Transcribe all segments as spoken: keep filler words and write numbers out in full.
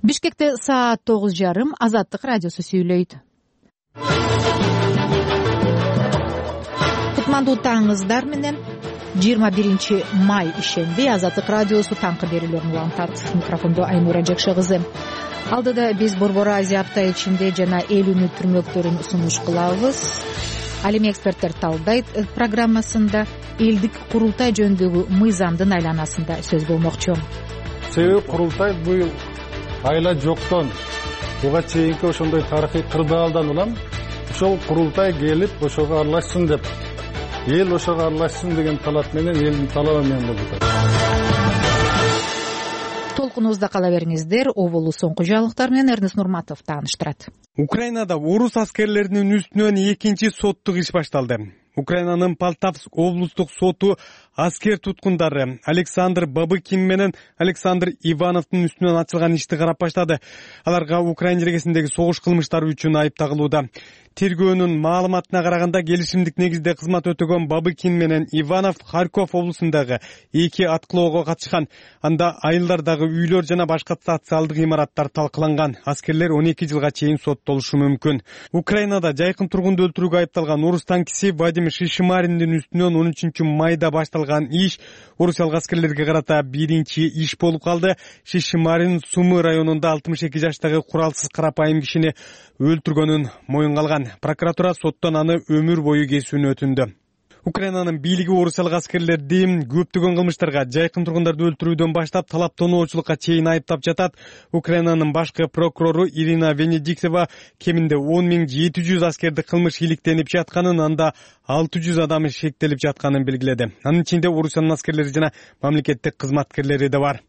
Бишкекте саат тогуз жарым. Азаттык радиосу сүйлөйт. Кутмандуу таңыңыздар менен жыйырма биринчи май ишемби Азаттык радиосу таңкы берүүлөрүн улантат. Микрофондо Айнура Жакшы кызы. Алдыда биз Борбор Азия апта ичинде жана эл үнү түрмөктөрүн сунуш кылабыз. Ал эми эксперттер талдайт программасында элдик курултай жөнүндөгү мыйзамдын айланасында сөз болмокчу. Себеби курултай быйыл айла жоктон буга чейинки ошондой тарыхый кырдаалдан улам ошол курултай келип ошого аралашсын деп, эл ошого аралашсын деген талап менен, элдин талабы менен болуп атат. Толкунубузда кала бериңиздер. Оболу соңку жаңылыктар менен Эрнест Нурматов тааныштырат. Украинада орус аскерлеринин үстүнөн экинчи соттук иш башталды. Украинанын Полтавск облустук соту аскер туткундары Александр Бабыкин менен Александр Ивановдун үстүнөн ачылган ишти карап баштады. Аларга Украина жергесиндеги согуш кылмыштары үчүн айып тагылууда. Тергөөнүн маалыматына караганда келишимдик негизде кызмат өтөгөн Бабыкин менен Иванов Харьков облусундагы эки аткылоого катышкан. Анда айылдардагы үйлөр жана башка социалдык имараттар талкаланган. Аскерлер он эки жылга чейин соттолушу мүмкүн. Украинада жайкын тургунду өлтүрүүгө айыпталган орус танкиси Вадим Шишимариндин үстүнөн он үчүнчү майда башталган иш орусиялык аскерлерге карата биринчи иш болуп калды. Шишимарин Сумы районунда алтымыш эки жаштагы куралсыз карапайым кишини өлтүргөнүн моюнга алган. Прокуратура соттон аны өмүр бою кесүүнү өтүндү. Украинанын бийлиги орусиялык аскерлерди көптөгөн кылмыштарга, жайкын тургундарды өлтүрүүдөн баштап талаптоонуучулукка чейин айыптап жатат. Украинанын башкы прокурору Ирина Венедиктова кеминде он миң жети жүз аскерди кылмыш иликтенип жатканын, анда алты жүз адам шектелип жатканын белгиледи. Анын ичинде Орусиянын аскерлери жана мамлекеттик кызматкерлери да бар.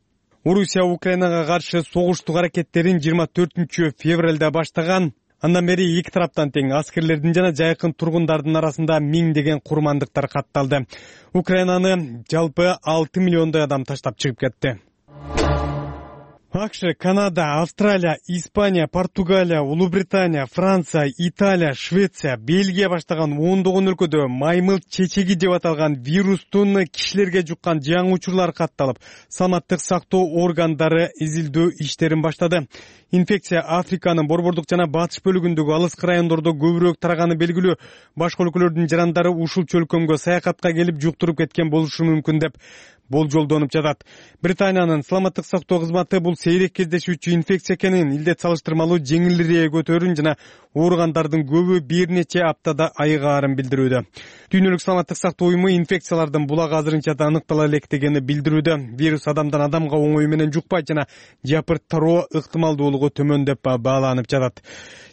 Орусия Украинага каршы согуштук аракеттерин жыйырма төртүнчү февралда баштаган. Андан бери эки тараптан тең аскерлердин жана жайкын тургундардын арасында миңдеген курмандыктар катталды. Украинаны жалпы алты миллиондой адам таштап чыгып кетти. АКШ, Канада, Австралия, Испания, Португалия, Улуу Британия, Франция, Италия, Швеция, Бельгия баштаган ондогон өлкөдө маймыл чечеги деп аталган вирустун кишилерге жуккан жаңы учурлар катталып, саламаттык сактоо органдары изилдөө иштерин баштады. Инфекция Африканын борбордук жана батыш бөлүгүндөгү алыскы райондордо көбүрөөк тараганы белгилүү. Башка өлкөлөрдүн жарандары ушул чөлкөмгө саякатка келип жуктуруп кеткен болушу мүмкүн деп болжолдонуп жатат. Британиянын саламаттык сактоо кызматы бул сейрек кездешүүчү инфекция экенин, илдет салыштырмалуу жеңилирээк өтөөрүн жана ооругандардын көбү бир нече аптада айыгаарын билдирүүдө. Дүйнөлүк саламаттык сактоо уюму инфекциялардын булагы азырынча да аныктала электегени билдирүүдө. Вирус адамдан адамга оңой менен жукпайт жана жапырттыроо ыктымалдуулугу төмөн деп бааланып жатат.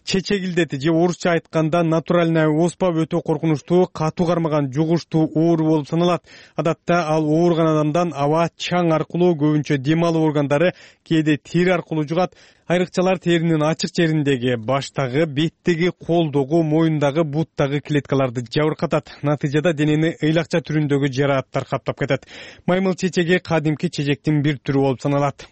Чечек илдети же орусча айтканда натуральная оспа өтө коркунучтуу, катуу кармаган жугуштуу оору болуп саналат. Адатта ал ооруган адамдан аба, чаң аркылуу, көбүнчө дем алуу органдары, кээде тери аркылуу жугат. Айрыкчалар теринин ачык жериндеги, баштагы, беттеги, колдогу, моюндагы, буттагы клеткаларды жабыркатат. Натыйжада денени ыйлакча түрүндөгү жарааттар каптап кетет. Маймыл чечеги кадимки чечектин бир түрү болуп саналат.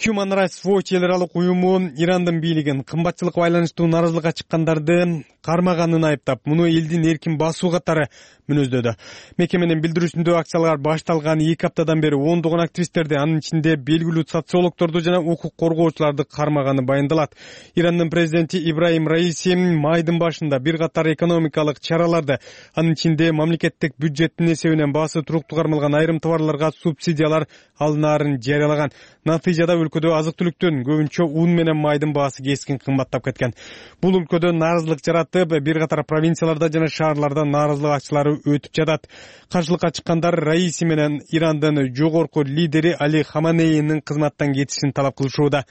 Human Rights Watch эл аралык уюму Ирандын бийлигин кымбатчылыкка байланыштуу нааразылыкка чыккандарды кармаганын айыптап, муну элдин эркин басуу катары мүнөздөдү. Мекеменин билдирүүсүндө акциялар башталган эки аптадан бери ондогон активисттерди, анын ичинде белгилүү социологдорду жана укук коргоочуларды кармаганы баяндалат. Ирандын президенти Ибраим Раиси майдын башында бир катар экономикалык чараларды, анын ичинде мамлекеттик бюджеттин эсебинен баасы туруктуу кармалган айрым товарларга субсидиялар алынаарын жарыялаган. Натыйжада өлкөдө азык-түлүктүн, көбүнчө ун менен майдын баасы кескин кымбаттап кеткен. Бул өлкөдө нааразылык жаратып, бир катар провинцияларда жана шаарларда нааразылык акчалары өтүп жатат. Каршылыкка чыккандар Раиси менен Ирандын жогорку лидери Али Хаманейинин кызматтан кетишин талап кылышууда.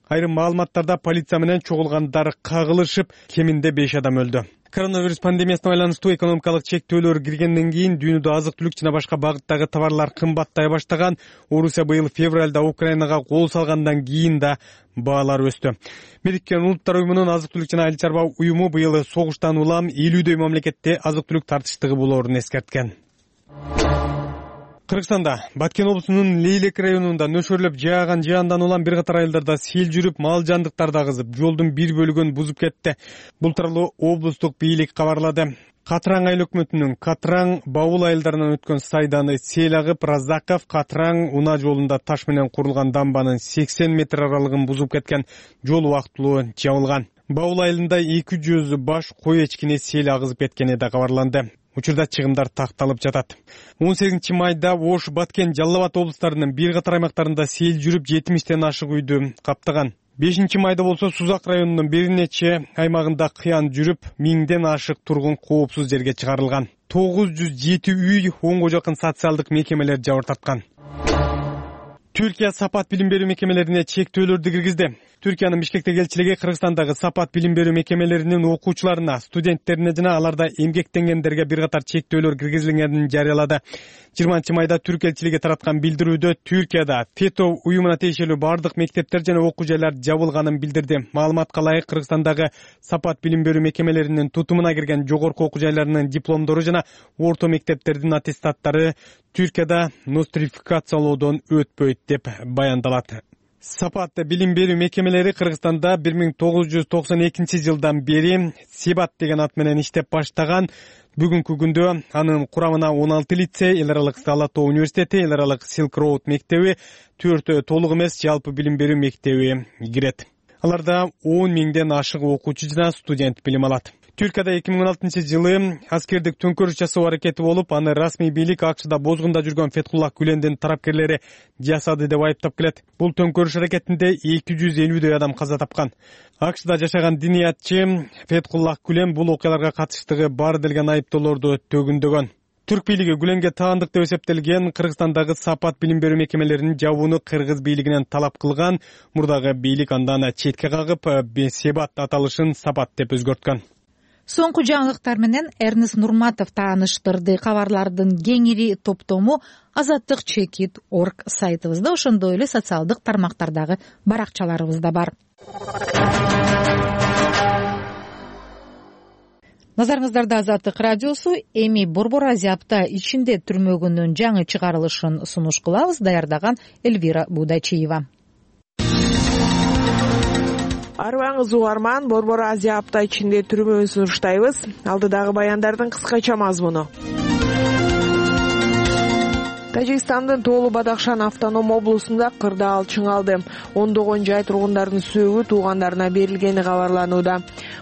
Айрым маалыматтарда полиция менен чогулгандар кагылышып, кеминде беш адам өлдү. Коронавирус пандемиясына байланыштуу экономикалык чектөөлөр киргенден кийин дүйнөдө азык-түлүк жана башка багыттагы товарлар кымбаттай баштаган. Орусия быйыл февралда Украинага кол салгандан кийин да баалар өстү. Бириккен Улуттар уюмунун азык-түлүк жана айыл чарба уюму быйыл согуштан улам элүүдөй мамлекетте азык-түлүк тартыштыгы болоорун эскерткен. Кыргызстанда Баткен облусунун Лейлек районунда нөшөрлөп жааган жаандан улам бир катар айылдарда сел жүрүп, мал жандыктарды агызып, жолдун бир бөлүгүн бузуп кетти. Бул тууралуу облустук бийлик кабарлады. Катраң айыл өкмөтүнүн Катраң Баул айылдарынан өткөн сайданы сел агып, Разаков Катраң унаа жолунда таш менен курулган дамбанын сексен метр аралыгын бузуп кеткен. Жол убактылуу жабылган. Баул айылында эки жүз баш кой эчкини сел агызып кеткени да кабарланды. Учурда чыгымдар такталып жатат. он сегизинчи майда Ош, Баткен, Жалал Абад облустарынын бир катар аймактарында сел жүрүп жетимиштен ашык үйдү каптаган. бешинчи майда болсо Сузак районунун бир нече аймагында кыян жүрүп, миңден ашык тургун коопсуз жерге чыгарылган. тогуз жүз жети үй, онго жакын социалдык мекемелер жабыр тарткан. Түркия сапат билим берүү мекемелерине чектөөлөрдү киргизди. Түркиянын Бишкектеги элчилиги Кыргызстандагы сапат билим берүү мекемелеринин окуучуларына, студенттерине жана аларда эмгектенгендерге бир катар чектөөлөр киргизилгенин жарыялады. жыйырманчы майда Түрк элчилиги тараткан билдирүүдө Түркияда ФЕТО уюмуна тиешелүү бардык мектептер жана окуу жайлар жабылганын билдирди. Маалыматка ылайык, Кыргызстандагы сапат билим берүү мекемелеринин тутумуна кирген жогорку окуу жайларынын дипломдору жана орто мектептердин аттестаттары Түркияда нострификациялоодон өтпөйт деп баяндалат. Сапат билим берүү мекемелери Кыргызстанда бир миң тогуз жүз токсон экинчи жылдан бери Себат деген ат менен иштеп баштаган. Бүгүнкү күндө анын курамына он алты лицей, эл аралык Салато университети, эл аралык Silk Road мектеби, төрт толук эмес жалпы билим берүү мектеби кирет. Аларда он миңден ашык окуучу жана студент билим алат. Түркияда эки миң он алтынчы жылы аскердик төңкөрүш жасоо аракети болуп, аны расмий бийлик АКШда бозгунда жүргөн Фетхуллах Гүлендин тарапкерлери жасады деп айыптап келет. Бул төңкөрүш аракетинде эки жүз элүүдөй адам каза тапкан. АКШда жашаган диниятчы Фетхуллах Гүлен бул окуяларга катыштыгы бар делген айыптоолорду төгүндөгөн. Түрк бийлиги Гүленге таандык деп эсептелген Кыргызстандагы сапат билим берүү мекемелеринин жабууну кыргыз бийлигинен талап кылган. Мурдагы бийлик андан четке кагып, Себат аталышын Сапат деп өзгөрткөн. Соңку жаңылыктар менен Эрнест Нурматов тааныштырды. Кабарлардын кеңири топтому азаттык чекит точка орг сайтыбызда, ошондой эле социалдык тармактардагы баракчаларыбызда бар. Назарыңыздарда Азаттык радиосу. Эми Борбор Азия апта ичинде түрмөгүнүн жаңы чыгарылышын сунуш кылабыз. Даярдаган Эльвира Будачиева. Арыбаңыз угарман, Борбор Азия апта ичинде түрмөгүн сунуштайбыз. Алдыдагы баяндардын кыскача мазмуну. Тажикстандын Тоолу Бадахшан автоном облусунда кырдаал чыңалды. Ондогон жай тургундардын сөөгү туугандарына берилгени кабарланууда.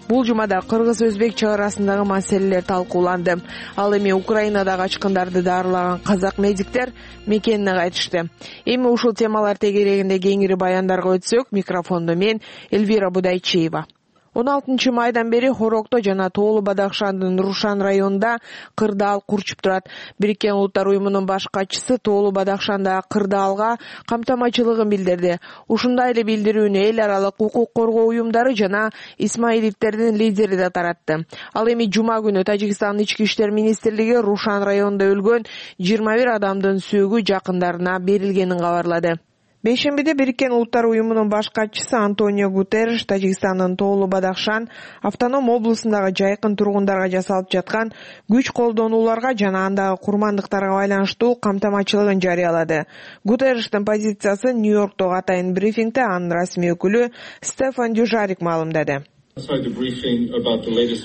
Бул жумада кыргыз-өзбек чек арасындагы маселелер талкууланды. Ал эми Украинада качкындарды дарылаган казак медиктер мекенине кайтышты. Эми ушул темалар тегерегинде кеңири баяндарга өтсөк, микрофондо мен Эльвира Будайчиева. он алтынчы майдан бери Хорокто жана Тоолу Бадахшандын Рушан районунда кырдаал курчуп турат. Бириккен Улуттар уюмунун баш катчысы Тоолу Бадахшандагы кырдаалга камтамачылыгын билдирди. Ушундай эле билдирүүнү эл аралык укук коргоо уюмдары жана исмаилиттердин лидери да таратты. Ал эми жума күнү Тажикстандын ички иштер министрлиги Рушан районунда өлгөн жыйырма бир адамдын сөөгү жакындарына берилгенин кабарлады. Бейшембиде Бириккен Улуттар уюмунун баш катчысы Антонио Гутерриш Тажикстандын Тоолу Бадахшан автоном облусундагы жайкын тургундарга жасалып жаткан күч колдонууларга жана андагы курмандыктарга байланыштуу камтамачылыгын жарыялады. Гутерриштин позициясы Нью-Йорктогу атайын брифингде анын расмий өкүлү Стефан Дюжарик маалымдады.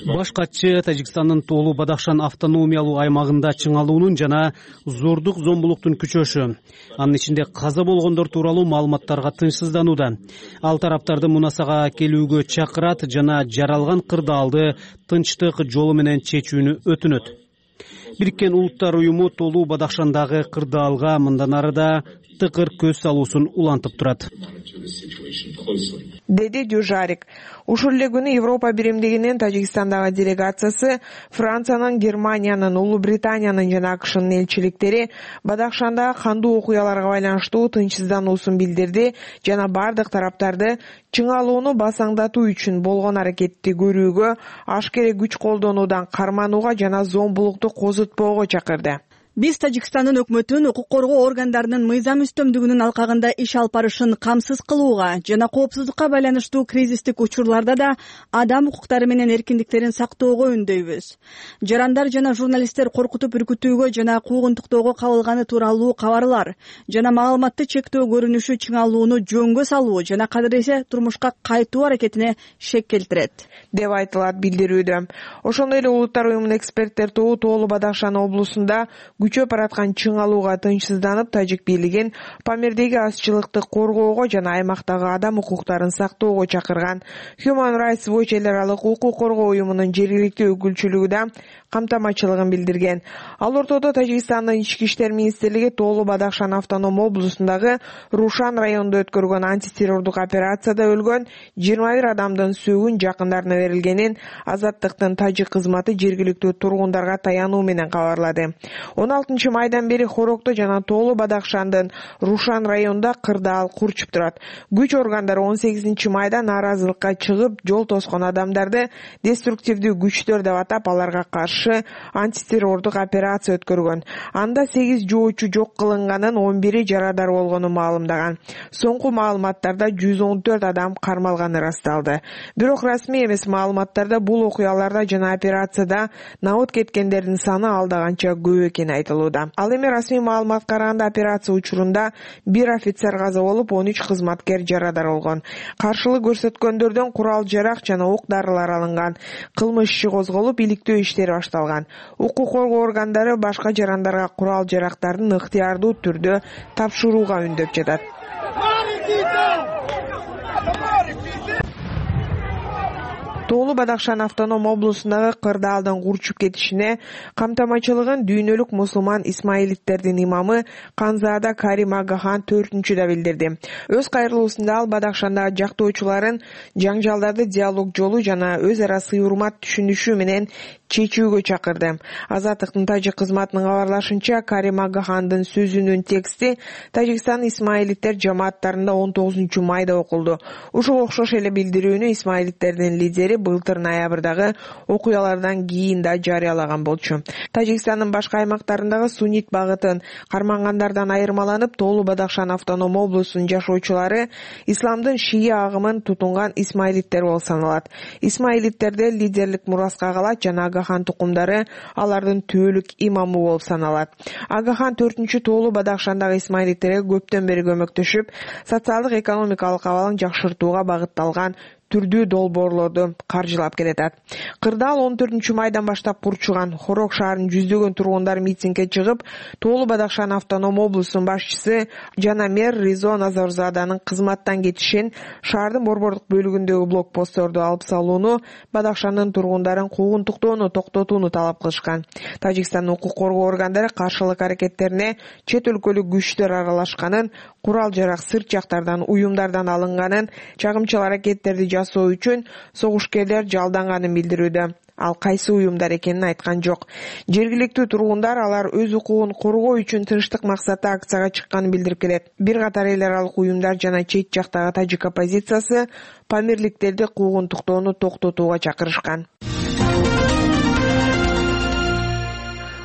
Баш катчы Тажикстандын Тоолу Бадахшан автономиялуу аймагында чыңалуунун жана зордук зомбулуктун күчөшү, анын ичинде каза болгондор тууралуу маалыматтарга тынчсызданууда. Ал тараптарды мунасага келүүгө чакырат жана жаралган кырдаалды тынчтык жолу менен чечүүнү өтүнөт. Бириккен Улуттар уюму Тоолу Бадахшандагы кырдаалга мындан ары да тыкыр көз салуусун улантып турат, деди Дюжарик. Ушул эле күнү Европа биримдигинин Тажикстандагы делегациясы Франциянын, Германиянын, Улуу Британиянын жана АКШнын элчиликтери Бадахшандагы кандуу окуяларга байланыштуу тынчсыздануусун билдирди жана бардык тараптарды чыңалууну басаңдатуу үчүн болгон аракетти көрүүгө, ашкере күч колдонуудан карманууга жана зомбулукту козутпоого чакырды. Биз Тажикстандын өкмөтүн укук коргоо органдарынын мыйзам үстөмдүгүнүн алкагында иш алып барышын камсыз кылууга жана коопсуздукка байланыштуу кризистик учурларда да адам укуктары менен эркиндиктерин сактоого үндөйбүз. Жарандар жана журналисттер коркутуп үркүтүүгө жана куугунтуктоого кабылганы тууралуу кабарлар жана маалыматты чектөө көрүнүшү чыңалууну жөнгө салуу жана кадыресе турмушка кайтуу аракетине шек келтирет деп айтылат билдирүүдө. Ошондой эле Улуттар уюмунун эксперттер тобу Тоолу Бадахшан облусунда күчөп бараткан чыңалууга тынчсызданып, тажик бийлигин Памирдеги азчылыкты коргоого жана аймактагы адам укуктарын сактоого чакырган. Human Rights Watch эл аралык укук коргоо уюмунун жергиликтүү өкүлчүлүгү да камтамачылыгын билдирген. Ал ортодо Тажикстандын ички иштер министрлиги Тоолу Бадахшан автоном облусундагы Рушан районунда өткөргөн антитеррордук операцияда өлгөн жыйырма бир адамдын сөөгүн жакындарына берилгенин Азаттыктын тажик кызматы жергиликтүү тургундарга таянуу менен кабарлады. он алтынчы майдан бери Хорокто жана Тоолу Бадахшандын Рушан районунда кырдаал курчуп турат. Күч органдары он сегизинчи майда нааразылыкка чыгып, жол тоскон адамдарды деструктивдүү күчтөр деп атап, аларга каршы антитеррордук операция өткөргөн. Анда сегиз жоочу жок кылынганын, он бири жарадар болгону маалымдаган. Соңку маалыматтарда жүз он төрт адам кармалганы ырасталды. Бирок расмий эмес маалыматтарда бул окуяларда жана операцияда набыт кеткендердин саны алдаганча көп экени айтылууда. Ал эми расмий маалыматка караганда операция учурунда бир офицер каза болуп, он үч кызматкер жарадар болгон. Каршылык көрсөткөндөрдөн курал жарак жана ок дарылар алынган. Кылмыш иши козголуп, иликтөө иштери башталган. Укук коргоо органдары башка жарандарга курал жарактарын ыктыярдуу түрдө тапшырууга үндөп жатат. Тоолу Бадахшан автоном облусундагы кырдаалдын курчуп кетишине камтамачылыгын дүйнөлүк мусулман исмаилиттердин имамы Канзаада Карим Агахан төртүнчүдө билдирди. Өз кайрылуусунда ал Бадахшандагы жактоочуларын жаңжалдарды диалог жолу жана өз ара сый урмат түшүнүшүү менен чечүүгө чакырды. Азаттыктын тажик кызматынын кабарлашынча, Карим Агахандын сөзүнүн тексти Тажикстан исмаилиттер жамааттарында он тогузунчу майда окулду. Ушуга окшош эле билдирүүнү исмаилиттердин лидери былтыр ноябрдагы окуялардан кийин да жарыялаган болчу. Тажикстандын башка аймактарындагы суннит багытын кармангандардан айырмаланып, Тоолу Бадахшан автоном облусунун жашоочулары исламдын шия агымын тутунган исмаилиттер болуп саналат. Исмаилиттерде лидерлик мураска калат жана Агахан тукумдары алардын түбөлүк имамы болуп саналат. Агахан төртүнчү Тоолу Бадахшандагы исмаилиттерге көптөн бери көмөктөшүп, социалдык экономикалык абалын жакшыртууга багытталган түрдүү долбоорлорду каржылап келатат. Кырдаал он төртүнчү майдан баштап курчуган. Хорок шаарынын жүздөгөн тургундары митингге чыгып, Тоолу Бадахшан автоном облусунун башчысы жана мэр Ризо Назарзаданын кызматтан кетишин, шаардын борбордук бөлүгүндөгү блокпостторду алып салууну, Бадахшандын тургундарын куугунтуктоону токтотууну талап кылышкан. Тажикстандын укук коргоо органдары каршылык аракеттерине чет өлкөлүк күчтөр аралашканын, курал жарак сырт жактардан, уюмдардан алынганын, чагымчыл аракеттерди жасоо үчүн согушкерлер жалданганын билдирүүдө. Ал кайсы уюмдар экенин айткан жок. Жергиликтүү тургундар алар өз укугун коргоо үчүн тынчтык максатта акцияга чыкканын билдирип келет. Бир катар эл аралык уюмдар жана чет жактагы тажик оппозициясы памирликтерди куугунтуктоону токтотууга чакырышкан.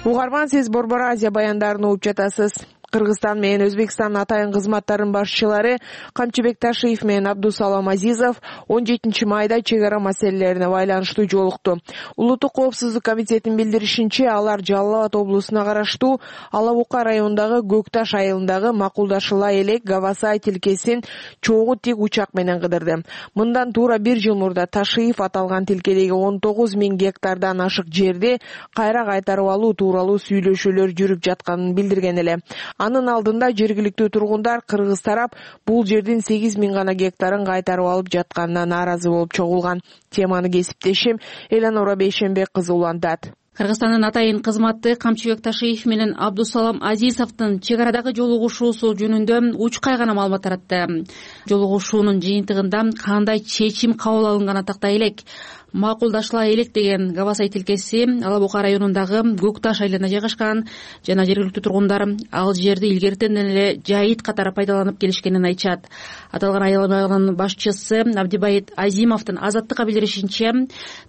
Угарман, сиз Борбор Азия баяндарын угуп жатасыз. Кыргызстан менен Өзбекстандын атайын кызматтарынын башчылары Камчыбек Ташиев менен Абдусалам Азизов он жетинчи майда чек ара маселелерине байланыштуу жолукту. Улуттук коопсуздук комитетинин билдиришинче, алар Жалал Абад облусуна караштуу Алабука районундагы Көкташ айылындагы Макулдашыла элек Гавасай тилкесин чогуу тик учак менен кыдырды. Мындан туура бир жыл мурда Ташиев аталган тилкедеги он тогуз миң гектардан ашык жерди кайра кайтарып алуу тууралуу сүйлөшүүлөр жүрүп жатканын билдирген эле. Анын алдында жергиликтүү тургундар кыргыз тарап бул жердин сегиз миң гана гектарын кайтарып алып жатканына нааразы болуп чогулган. Теманы кесиптешим Эланора Бейшенбек кызы улантат. Кыргызстандын атайын кызматы Камчыбек Ташиев менен Абдусалам Азизовдун чек арадагы жолугушуусу жөнүндө учкай гана маалымат таратты. Жолугушуунун жыйынтыгында кандай чечим кабыл алынганы тактай элек. макулдашыла элек деген Гавасай тилкеси Ала Бука районундагы Көк Таш айылына жайгашкан жана жергиликтүү тургундар ал жерди илгертен эле жайыт катары пайдаланып келишкенин айтышат. Аталган айыл аймагынын башчысы Абдибайит Азимовдун Азаттыкка билдиришинче,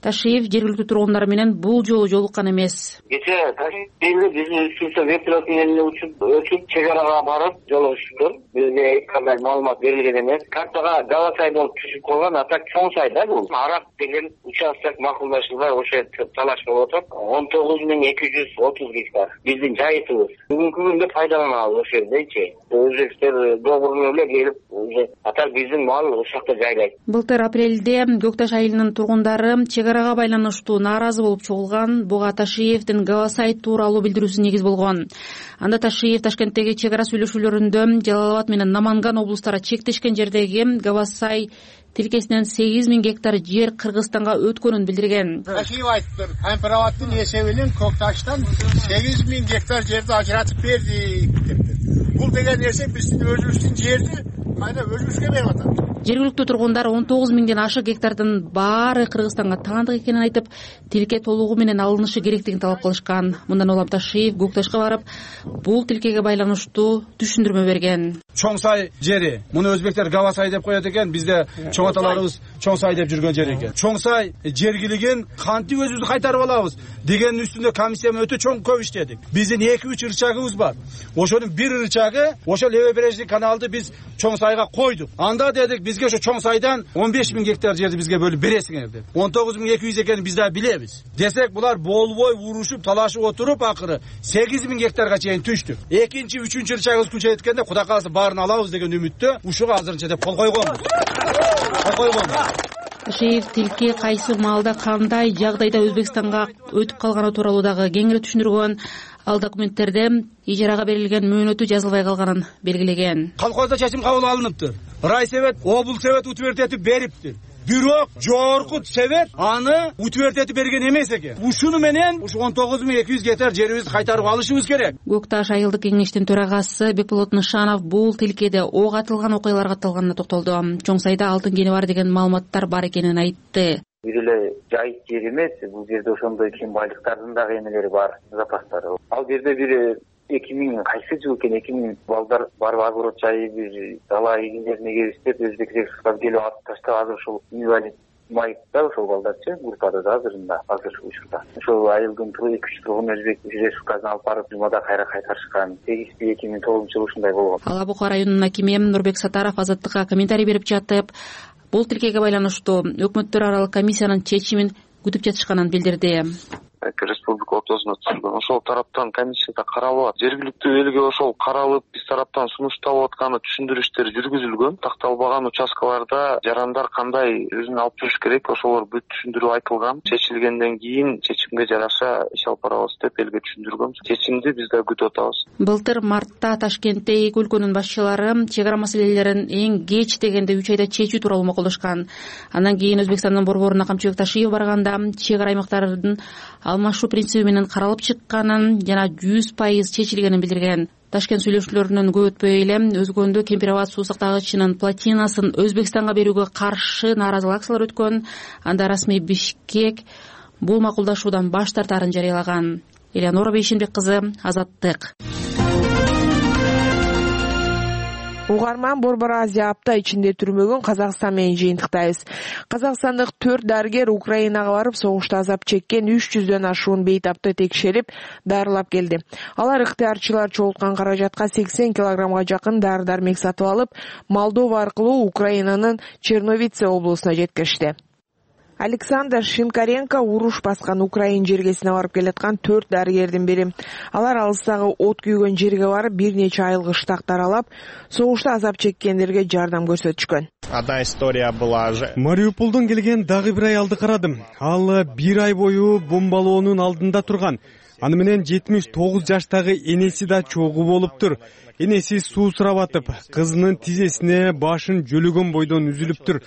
Ташиев жергиликтүү тургундар менен бул жолу жолуккан эмес. Кечээ Ташиев биздин үстүбүздө вертолет менен учуп өтүп чек арага барып жолугушуптур. Бизге эч кандай маалымат берилген эмес. Картага Гавасай болуп түшүп калган, а так чоң сай да бул. Арак деген участок макулдашылбай ошо талаш болуп атат. он тогуз миң эки жүз отуз гектар биздин жайытыбыз. Бүгүнкү күндө пайдаланабыз ошол жердечи. Өзбектер договору менен келип уже атар биздин мал ошол жакта жайлайт. Былтыр апрелде Көк Таш айылынын тургундары чек арага байланыштуу нааразы болуп чогулган. Буга Ташиевдин Гавасай тууралуу билдирүүсү негиз болгон. Анда Ташиев Ташкенттеги чек ара сүйлөшүүлөрүндө Жалал Абад менен Наманган облустары чектешкен жердеги Гавасай тилкесинен сегиз миң гектар жер Кыргызстанга өткөнүн билдирген. Ташиев айтыптыр, Кампироваттын эсебинен Көк Таштан сегиз миң гектар жерди ажыратып бердик дептир. Бул деген нерсе биздин өзүбүздүн жерди кайда өзүбүзгө берип атат. Жергиликтүү тургундар он тогуз миңден ашык гектардын баары Кыргызстанга таандык экенин айтып, тилке толугу менен алынышы керектигин талап кылышкан. Мындан улам Ташиев Көк Ташка барып, бул тилкеге байланыштуу түшүндүрмө берген. Чоң сай жери, муну өзбектер Гавасай деп коет экен, бизде чоң аталарыбыз чоң сай деп жүргөн жер экен. Чоң сай жергилигин кантип өзүбүз кайтарып алабыз дегендин үстүндө комиссия өтө чоң көп иштедик. Биздин эки үч ырчагыбыз бар. Ошонун бир ырчагы ошол Левобережный каналды биз чоң сайга койдук. Анда дедик, бизге ошо чоң сайдан он беш миң гектар жерди бизге бөлүп бересиңер деп. он тогуз миң эки жүз экенин биз да билебиз. Десек, булар болбой урушуп, талашып отуруп, акыры сегиз миң гектарга чейин түштүк. Экинчи, үчүнчү ырчагыбыз күчөйүп кеткенде, Кудай кааласа баарын алабыз деген үмүттө ушуга азырынча деп кол койгонбуз. Кол койгонбуз. Ташиев тилке кайсы маалда кандай жагдайда Өзбекстанга өтүп калганы тууралуу дагы кеңири түшүндүргөн. Ал документтерде ижарага берилген мөөнөтү жазылбай калганын белгилеген. Колхоздо чечим кабыл алыныптыр. Райсовет, облсовет утвертетип бериптир. Бирок жогорку совет аны утвертетип берген эмес экен. Ушуну менен ушу он тогуз миң эки жүз гектар жерибизди кайтарып алышыбыз керек. Көк Таш айылдык кеңештин төрагасы Бекболот Нышанов бул тилкеде ок атылган окуяларга катталганына токтолду. Чоң сайда алтын кени бар деген маалыматтар бар экенин айтты. Бир эле жайыт жер эмес, бул жерде ошондой кен байлыктардын дагы эмелери бар, запастары. Ал жерде бир эки миң кайсы жыл экен, эки миң балдар барып огород жайып, бир дала эгиндерине келиштип, өзбек рексага келип атып таштап, азыр ушул инвалид майыпта ошол балдарчы группада да азырында, азыр учурда. Ошол айылдын эки үч тургун өзбек рексагына алып барып, жумада кайра кайтарышкан. Сегизинчи эки миң тогузунчу жылы ушундай болгон. Ала Бука районунун акими Нурбек Сатаров Азаттыкка комментарий берип жатып, бул тилкеге байланыштуу өкмөттөр аралык комиссиянын чечимин күтүп жатышканын билдирди. Республика ортосуна түзүлгөн ошол тараптан комиссияда каралып, жергиликтүү элге ошол каралып, биз тараптан сунушталып атканы түшүндүрүштөр жүргүзүлгөн. Такталбаган участкаларда жарандар кандай өзүн алып жүрүш керек, ошолор бүт түшүндүрүп айтылган. Чечилгенден кийин чечимге жараша иш алып барабыз деп элге түшүндүргөн. Чечимди биз да күтүп атабыз. Былтыр мартта Ташкентте эки өлкөнүн башчылары чек ара маселелерин эң кеч дегенде үч айда чечүү тууралуу макулдашкан. Андан кийин Өзбекстандын борборуна Камчыбек Ташиев барганда чек ара аймактардын алмашуу принциби менен каралып чыкканын жана жүз пайыз чечилгенин билдирген. Ташкент сүйлөшүүлөрүнөн көп өтпөй эле Өзгөндө Кемпироват суу сактагычынын плотинасын Өзбекстанга берүүгө каршы нааразылык акциялар өткөн. Анда расмий Бишкек бул макулдашуудан баш тартаарын жарыялаган. Элеонора Бейшенбек кызы, Азаттык. Угарман, Борбор Азия апта ичинде түрмөгөн Казакстан менен жыйынтыктайбыз. Казакстандык төрт дарыгер Украинага барып, согушта азап чеккен үч жүздөн ашуун бейтапты текшерип, дарылап келди. Алар ыктыярчылар чогулткан каражатка сексен килограммга жакын дары-дармек сатып алып, Молдова аркылуу Украинанын Черновице облусуна жеткиришти. Александр Шинкаренко уруш баскан Украин жергесине барып келаткан төрт дарыгердин бири. Алар алыстагы от күйгөн жерге барып, бир нече айыл кыштак таралап, согушта азап чеккендерге жардам көрсөтүшкөн. Одна история была же. Мариуполдон келген дагы бир аялды карадым. Ал бир ай бою бомбалоонун алдында турган. Аны менен жетимиш тогуз жаштагы энеси да чогуу болуптур. Энеси суу сурап атып, кызынын тизесине башын жөлөгөн бойдон үзүлүптүр.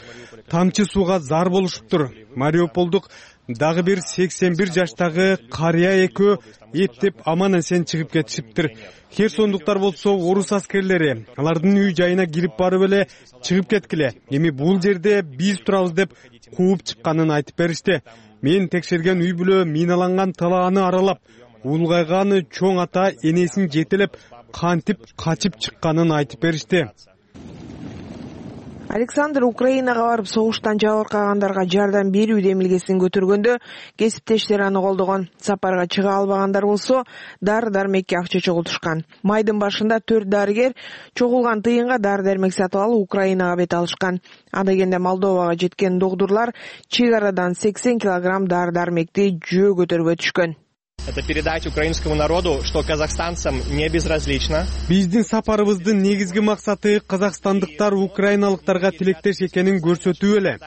Тамчы сууга зар болушуптур. Мариуполдук дагы бир сексен бир жаштагы карыя экөө эптеп аман эсен чыгып кетишиптир. Херсондуктар болсо орус аскерлери алардын үй жайына кирип барып эле чыгып кеткиле. Эми бул жерде биз турабыз деп кууп чыкканын айтып беришти. Мен текшерген үй бүлө миналанган талааны аралап, улгайган чоң ата энесин жетелеп кантип качып чыкканын айтып беришти. Александр Украинага барып согуштан жабыркагандарга жардам берүү демилгесин көтөргөндө кесиптештери аны колдогон. Сапарга чыга албагандар болсо дары-дармекке акча чогултушкан. Майдын башында төрт дарыгер чогулган тыйынга дары-дармек сатып алып Украинага бет алышкан. Анда дегенде Молдовага жеткен догдурлар чек арадан сексен килограмм дары-дармекти жөө көтөрүп өтүшкөн. Это передать украинскому народу, что казахстанцам не безразлично. Биздин сапарыбыздын негизги максаты казакстандыктар украиналыктарга тилектеш экенин көрсөтүү эле.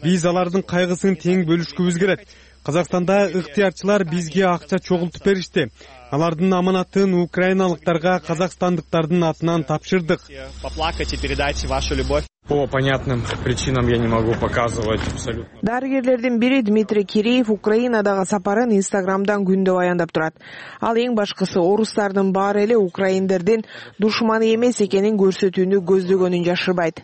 Биз алардын кайгысын тең бөлүшкүбүз келет. Казакстанда ыктыярчылар бизге акча чогултуп беришти. Алардын аманатын украиналыктарга казакстандыктардын атынан тапшырдык. Поплакать и передать вашу любовь. По понятным причинам я не могу показывать абсолютно. Дарыгерлердин бири Дмитрий Киреев Украинадагы сапарын Инстаграмдан күндө баяндап турат. Ал эң башкысы орустардын баары эле украиндердин душманы эмес экенин көрсөтүүнү көздөгөнүн жашырбайт.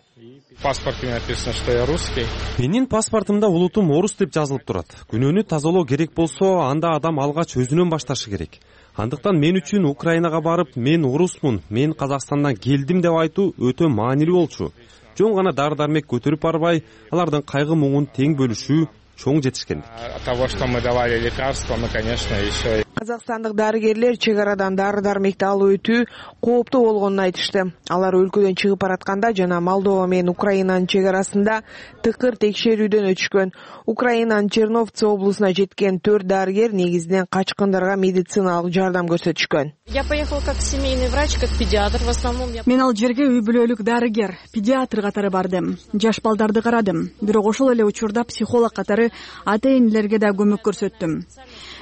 В паспорте написано, что я русский. Менин паспортумда улутум орус деп жазылып турат. Күнөөнү тазалоо керек болсо, анда адам алгач өзүнөн башташы керек. Андыктан мен үчүн Украинага барып, мен орусмун, мен Казакстандан келдим деп айтуу өтө маанилүү болчу. Жон гана дары-дармек көтөрүп барбай, алардын кайгы муңун тең бөлүшүү чоң жетишкендик. От того, что мы давали лекарства, мы, конечно, еще... Казакстандык дарыгерлер чек арадан дары-дармекти алып өтүү кооптуу болгонун айтышты. Алар өлкөдөн чыгып баратканда жана Молдова менен Украинанын чек арасында тыкыр текшерүүдөн өтүшкөн. Украинанын Черновцы облусуна жеткен төрт дарыгер негизинен качкындарга медициналык жардам көрсөтүшкөн. Я поехал как семейный врач, как педиатр. В основном я... Мен ал жерге үй бүлөлүк дарыгер, педиатр катары бардым. Жаш балдарды карадым. Бирок ошол эле учурда психолог катары ата-энелерге да көмөк көрсөттүм.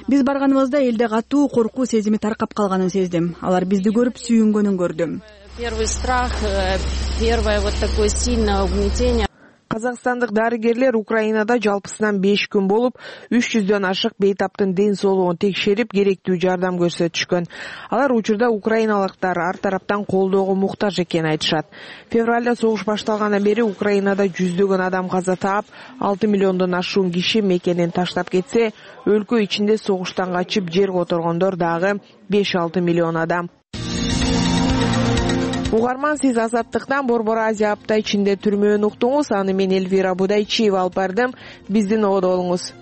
Биз барганыбызда элде катуу коркуу сезими таркап калганын сездим. Алар бизди көрүп сүйүнгөнүн көрдүм. Первый страх, первое вот такое сильное угнетение. Казакстандык дарыгерлер Украинада жалпысынан беш күн болуп, үч жүздөн ашык бейтаптын ден соолугун текшерип, керектүү жардам көрсөтүшкөн. Алар учурда украиналыктар ар тараптан колдоого муктаж экенин айтышат. Февралда согуш башталгандан бери Украинада жүздөгөн адам каза таап, алты миллиондон ашуун киши мекенин таштап кетсе, өлкө ичинде согуштан качып жер которгондор дагы беш алты миллион адам. Угарман, сиз Азаттыктан Борбор Азия апта ичинде түрмөөнү уктуңуз. Аны мен Эльвира Будайчиева алып бардым. Биздин ободо болуңуз.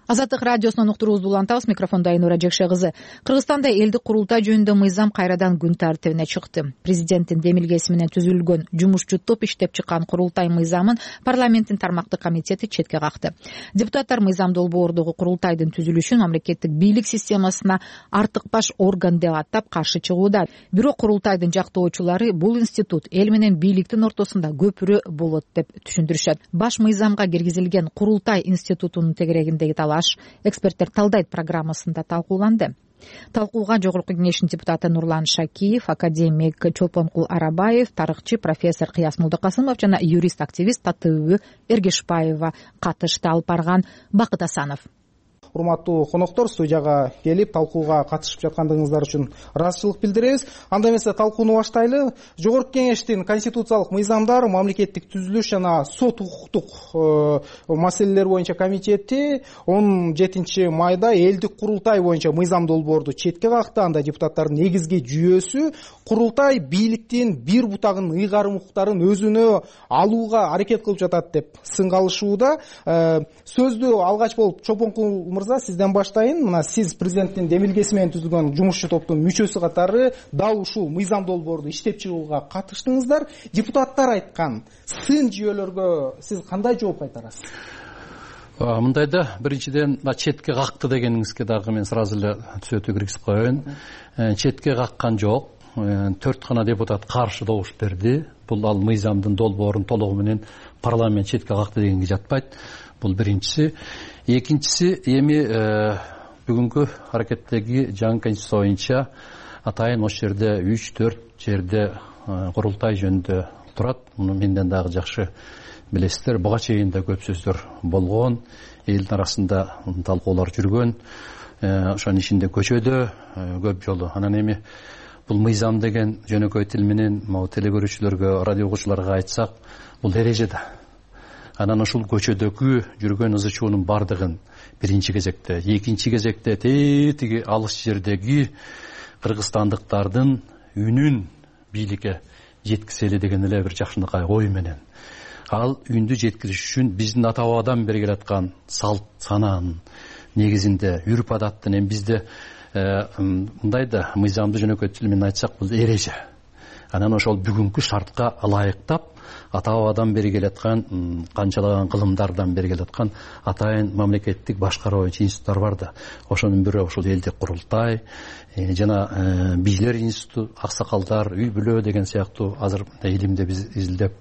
Азаттык радиосунан уктуруубузду улантабыз. Микрофондо Айнура Жекше кызы. Кыргызстанда элдик курултай жөнүндө мыйзам кайрадан күн тартибине чыкты. Президенттин демилгеси менен түзүлгөн жумушчу топ иштеп чыккан курултай мыйзамын парламенттин тармактык комитети четке какты. Депутаттар мыйзам долбоордогу курултайдын түзүлүшүн мамлекеттик бийлик системасына артык баш орган деп атап каршы чыгууда. Бирок курултайдын жактоочулары бул институт эл менен бийликтин ортосунда көпүрө болот деп түшүндүрүшөт. Баш мыйзамга киргизилген курултай институтунун тегерегиндеги талаш эксперттер талдайт программасында талкууланды. Талкууга Жогорку Кеңештин депутаты Нурлан Шакиев, академик Чолпонкул Арабаев, тарыхчы профессор Кыяс Мулдыкасымов жана юрист-активист Татыбү Эргешбаева катышты. Алып барган Бакыт Асанов. Урматтуу коноктор, студияга келип талкууга катышып жаткандыгыңыздар үчүн ыраазычылык билдиребиз. Анда эмесе талкууну баштайлы. Жогорку Кеңештин конституциялык мыйзамдар, мамлекеттик түзүлүш жана сот укуктук маселелер боюнча комитети он жетинчи майда элдик курултай боюнча мыйзам долбоорду четке какты. Анда депутаттардын негизги жүйөсү курултай бийликтин бир бутагын ыйгарым укуктарын өзүнө алууга аракет кылып жатат деп сынгалышууда. Сөздү алгач болуп Чолпонкул мырза, сизден баштайын. Мына сиз президенттин демилгеси менен түзүлгөн жумушчу топтун мүчөсү катары дал ушул мыйзам долбоорду иштеп чыгууга катыштыңыздар. Депутаттар айткан сын жүйөлөргө сиз кандай жооп кайтарасыз? Мындайда биринчиден четке какты дегениңизге дагы мен сразу эле түзөтүү киргизип коеюн. Четке каккан жок. Төрт гана депутат каршы добуш берди. Бул ал мыйзамдын долбоорун толугу менен парламент четке какты дегенге жатпайт. Бул биринчиси. Экинчиси, эми бүгүнкү аракеттеги жаңы конституция боюнча атайын ошол жерде үч төрт жерде курултай жөнүндө турат. Муну менден дагы жакшы билесиздер. Буга чейин да көп сөздөр болгон, элдин арасында талкуулар жүргөн, ошонун ичинде көчөдө көп жолу. Анан эми бул мыйзам деген жөнөкөй тил менен могу теле-көрүүчүлөргө, радио угуучуларга айтсак, бул эреже да. Анан ушул көчөдөгү жүргөн ызы чуунун бардыгын биринчи кезекте, экинчи кезекте тетиги алыс жердеги кыргызстандыктардын үнүн бийликке жеткизели деген эле бир жакшынакай ой менен. Ал үндү жеткириш үчүн биздин ата бабадан бери келаткан салт санаанын негизинде, үрп адаттын, эми бизде мындай да мыйзамды жөнөкөй тил менен айтсак, бул эреже. Анан ошол бүгүнкү шартка ылайыктап ата бабадан бери келаткан, канчалаган кылымдардан бери келаткан атайын мамлекеттик башкаруучу институттар бар да. Ошонун бирөө ушул элдик курултай жана бийлер институту, аксакалдар, үй бүлө деген сыяктуу азыр илимде биз изилдеп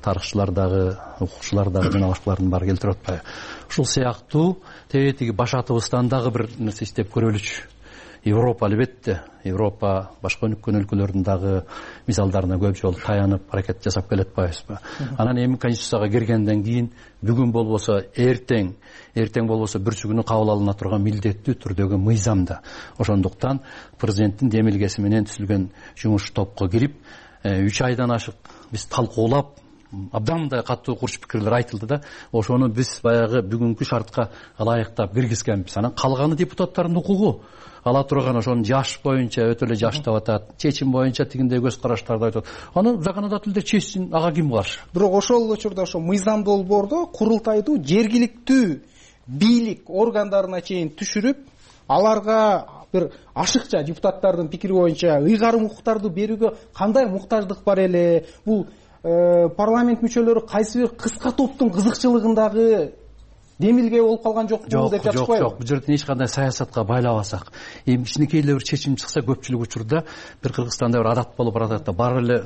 тарыхчылар дагы, укукчулар дагы жана башкалардын баары келтирип атпайбы. Ушул сыяктуу тетиги баш атыбыздан дагы бир нерсе иштеп көрөлүчү. Европа албетте, Европа башка өнүккөн өлкөлөрдүн дагы мисалдарына көп жолу таянып аракет жасап келе атпайбызбы? Анан эми конституцияга киргенден кийин бүгүн болбосо эртең, эртең болбосо бүрсү күнү кабыл алына турган милдеттүү түрдөгү мыйзамда. Ошондуктан президенттин демилгеси менен түзүлгөн жумуш топко кирип, үч айдан ашык биз талкуулап, абдан мындай катуу курч пикирлер айтылды да, ошону биз баягы бүгүнкү шартка ылайыктап киргизгенбиз. Анан калганы депутаттардын укугу. Ала турган ошонун жаш боюнча өтө эле жаштап атат, чечим боюнча тигиндей көз караштарды айтат. Аны законодательде чечсин, ага ким каршы? Бирок ошол учурда ошо мыйзам долбоордо курултайдуу жергиликтүү бийлик органдарына чейин түшүрүп, аларга бир ашыкча депутаттардын пикири боюнча ыйгарым укуктарды берүүгө кандай муктаждык бар эле? Бул парламент мүчөлөрү кайсы бир кыска топтун кызыкчылыгындагы демилге болуп калган жокпу деп жатышпайбы? Жок, бул жерден эч кандай саясатка байлабасак, эми кичинекей эле бир чечим чыкса, көпчүлүк учурда бир Кыргызстанда бир адат болуп баратат да, бар эле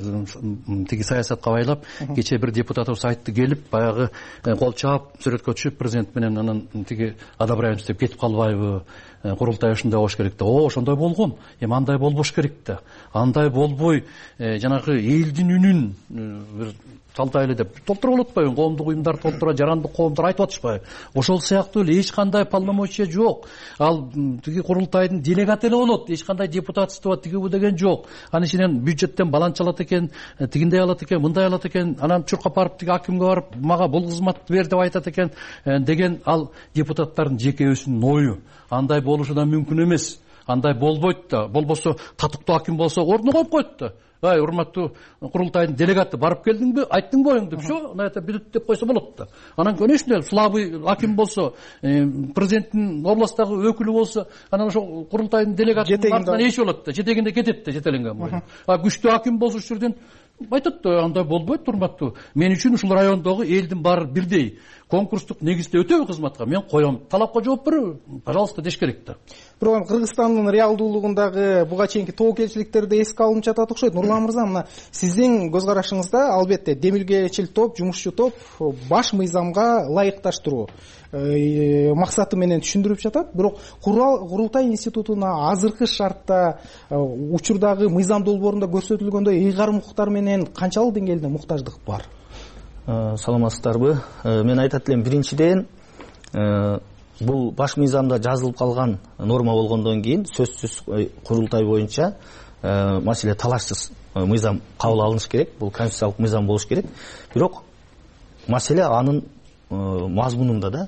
тиги саясатка байлап, кечээ бир депутатыбыз айтты, келип баягы кол чаап, сүрөткө түшүп, президент менен анан тиги одобряем деп кетип калбайбы? Курултай ушундай болуш керек да. О, ошондой болгон. Эми андай болбош керек да. Андай болбой, жанагы элдин үнүн бир талтай эле деп толтуруп болот атпайбы? Коомдук уюмдар толтура, жарандык коомдор айтып атышпайбы? Ошол сыяктуу эле эч кандай полномочия жок. Ал тиги курултайдын делегаты эле болот. Эч кандай депутатство тигибу деген жок. Анын ичинен бюджеттен баланча алат экен, тигиндей алат экен, мындай алат экен, анан чуркап барып тиги акимге барып, мага бул кызматты бер деп айтат экен деген ал депутаттардын жеке өзүнүн ою. Андай болушу да мүмкүн эмес. Андай болбойт да. Болбосо татыктуу аким болсо ордуна коюп коет да. Ай, урматтуу курултайдын делегаты, барып келдиңби, айттыңбы оюңду, всё, на это бирит деп койсо болот да. Анан конечно, слабый аким болсо, президенттин областтагы өкүлү болсо, анан ошо курултайдын делегатынын артынан эч болот да, жетегинде кетет да, жетеленген боюнча. А күчтүү аким болсо ушул жерден айтат да, андай болбойт, урматтуу. Мен үчүн ушул райондогу элдин баары бирдей. Конкурстук негизде өтөбү кызматка, мен коем. Талапка жооп береби? Пожалуйста, деш керек да. Бирок Кыргызстандын реалдуулугундагы буга чейинки тобокелчиликтерди эске алынып жатат окшойт. Нурлан мырза, мына сиздин көз карашыңызда албетте демилгечил топ, жумушчу топ баш мыйзамга ылайыкташтыруу максаты менен түшүндүрүп жатат. Бирок курултай институтуна азыркы шартта учурдагы мыйзам долбоорунда көрсөтүлгөндөй ыйгарым укуктар менен канчалык деңгээлде муктаждык бар? Саламатсыздарбы? Мен айтат элем, биринчиден бул баш мыйзамда жазылып калган норма болгондон кийин сөзсүз курултай боюнча маселе талашсыз мыйзам кабыл алыныш керек. Бул конституциялык мыйзам болуш керек. Бирок маселе анын мазмунунда да.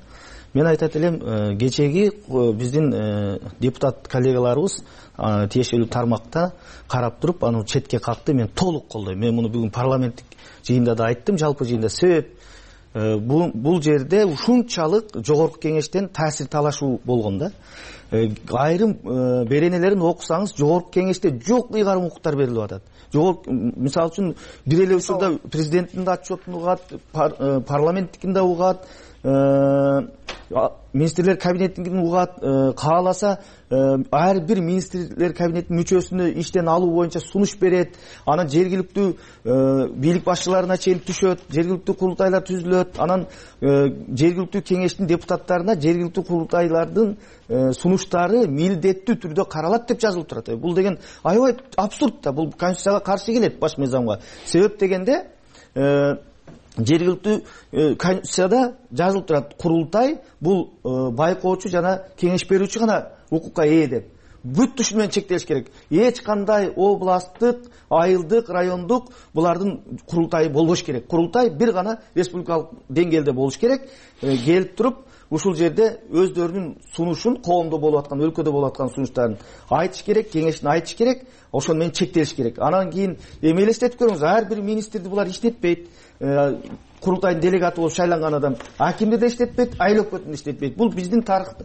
Мен айтат элем, кечеги биздин депутат коллегаларыбыз тиешелүү тармакта карап туруп, аны четке какты, мен толук колдойм. Мен муну бүгүн парламенттик жыйында да айттым, жалпы жыйында. Себеп бул жерде ушунчалык жогорку кеңештен таасир талашуу болгон да. Айрым беренелерин окусаңыз, жогорку кеңеште жок ыйгарым укуктар берилип атат. Жогорку, мисалы үчүн, бир эле учурда президенттин да отчетун угат, парламенттикин да угат, министрлер кабинетин угат, кааласа ар бир министрлер кабинетинин мүчөсүнө иштен алуу боюнча сунуш берет. Анан жергиликтүү бийлик башчыларына чейин түшөт, жергиликтүү курултайлар түзүлөт. Анан жергиликтүү кеңештин депутаттарына жергиликтүү курултайлардын сунуштары милдеттүү түрдө каралат деп жазылып турат. Бул деген аябай абсурд да. Бул конституцияга каршы келет, баш мыйзамга. Себеп дегенде жергиликтүү конституцияда жазылып турат, курултай бул байкоочу жана кеңеш берүүчү гана укукка ээ деп. Бүт ушу менен чектелиш керек. Эч кандай областтык, айылдык, райондук булардын курултайы болбош керек. Курултай бир гана республикалык деңгээлде болуш керек. Келип туруп ушул жерде өздөрүнүн сунушун, коомдо болуп аткан, өлкөдө болуп аткан сунуштарын айтыш керек, кеңешин айтыш керек, ошону менен чектелиш керек. Анан кийин эми элестетип көрүңүз, ар бир министрди булар иштетпейт. Курултайдын делегаты болуп шайланган адам акимди да иштетпейт, айыл өкмөтүн да иштетпейт. Бул биздин тарыхта,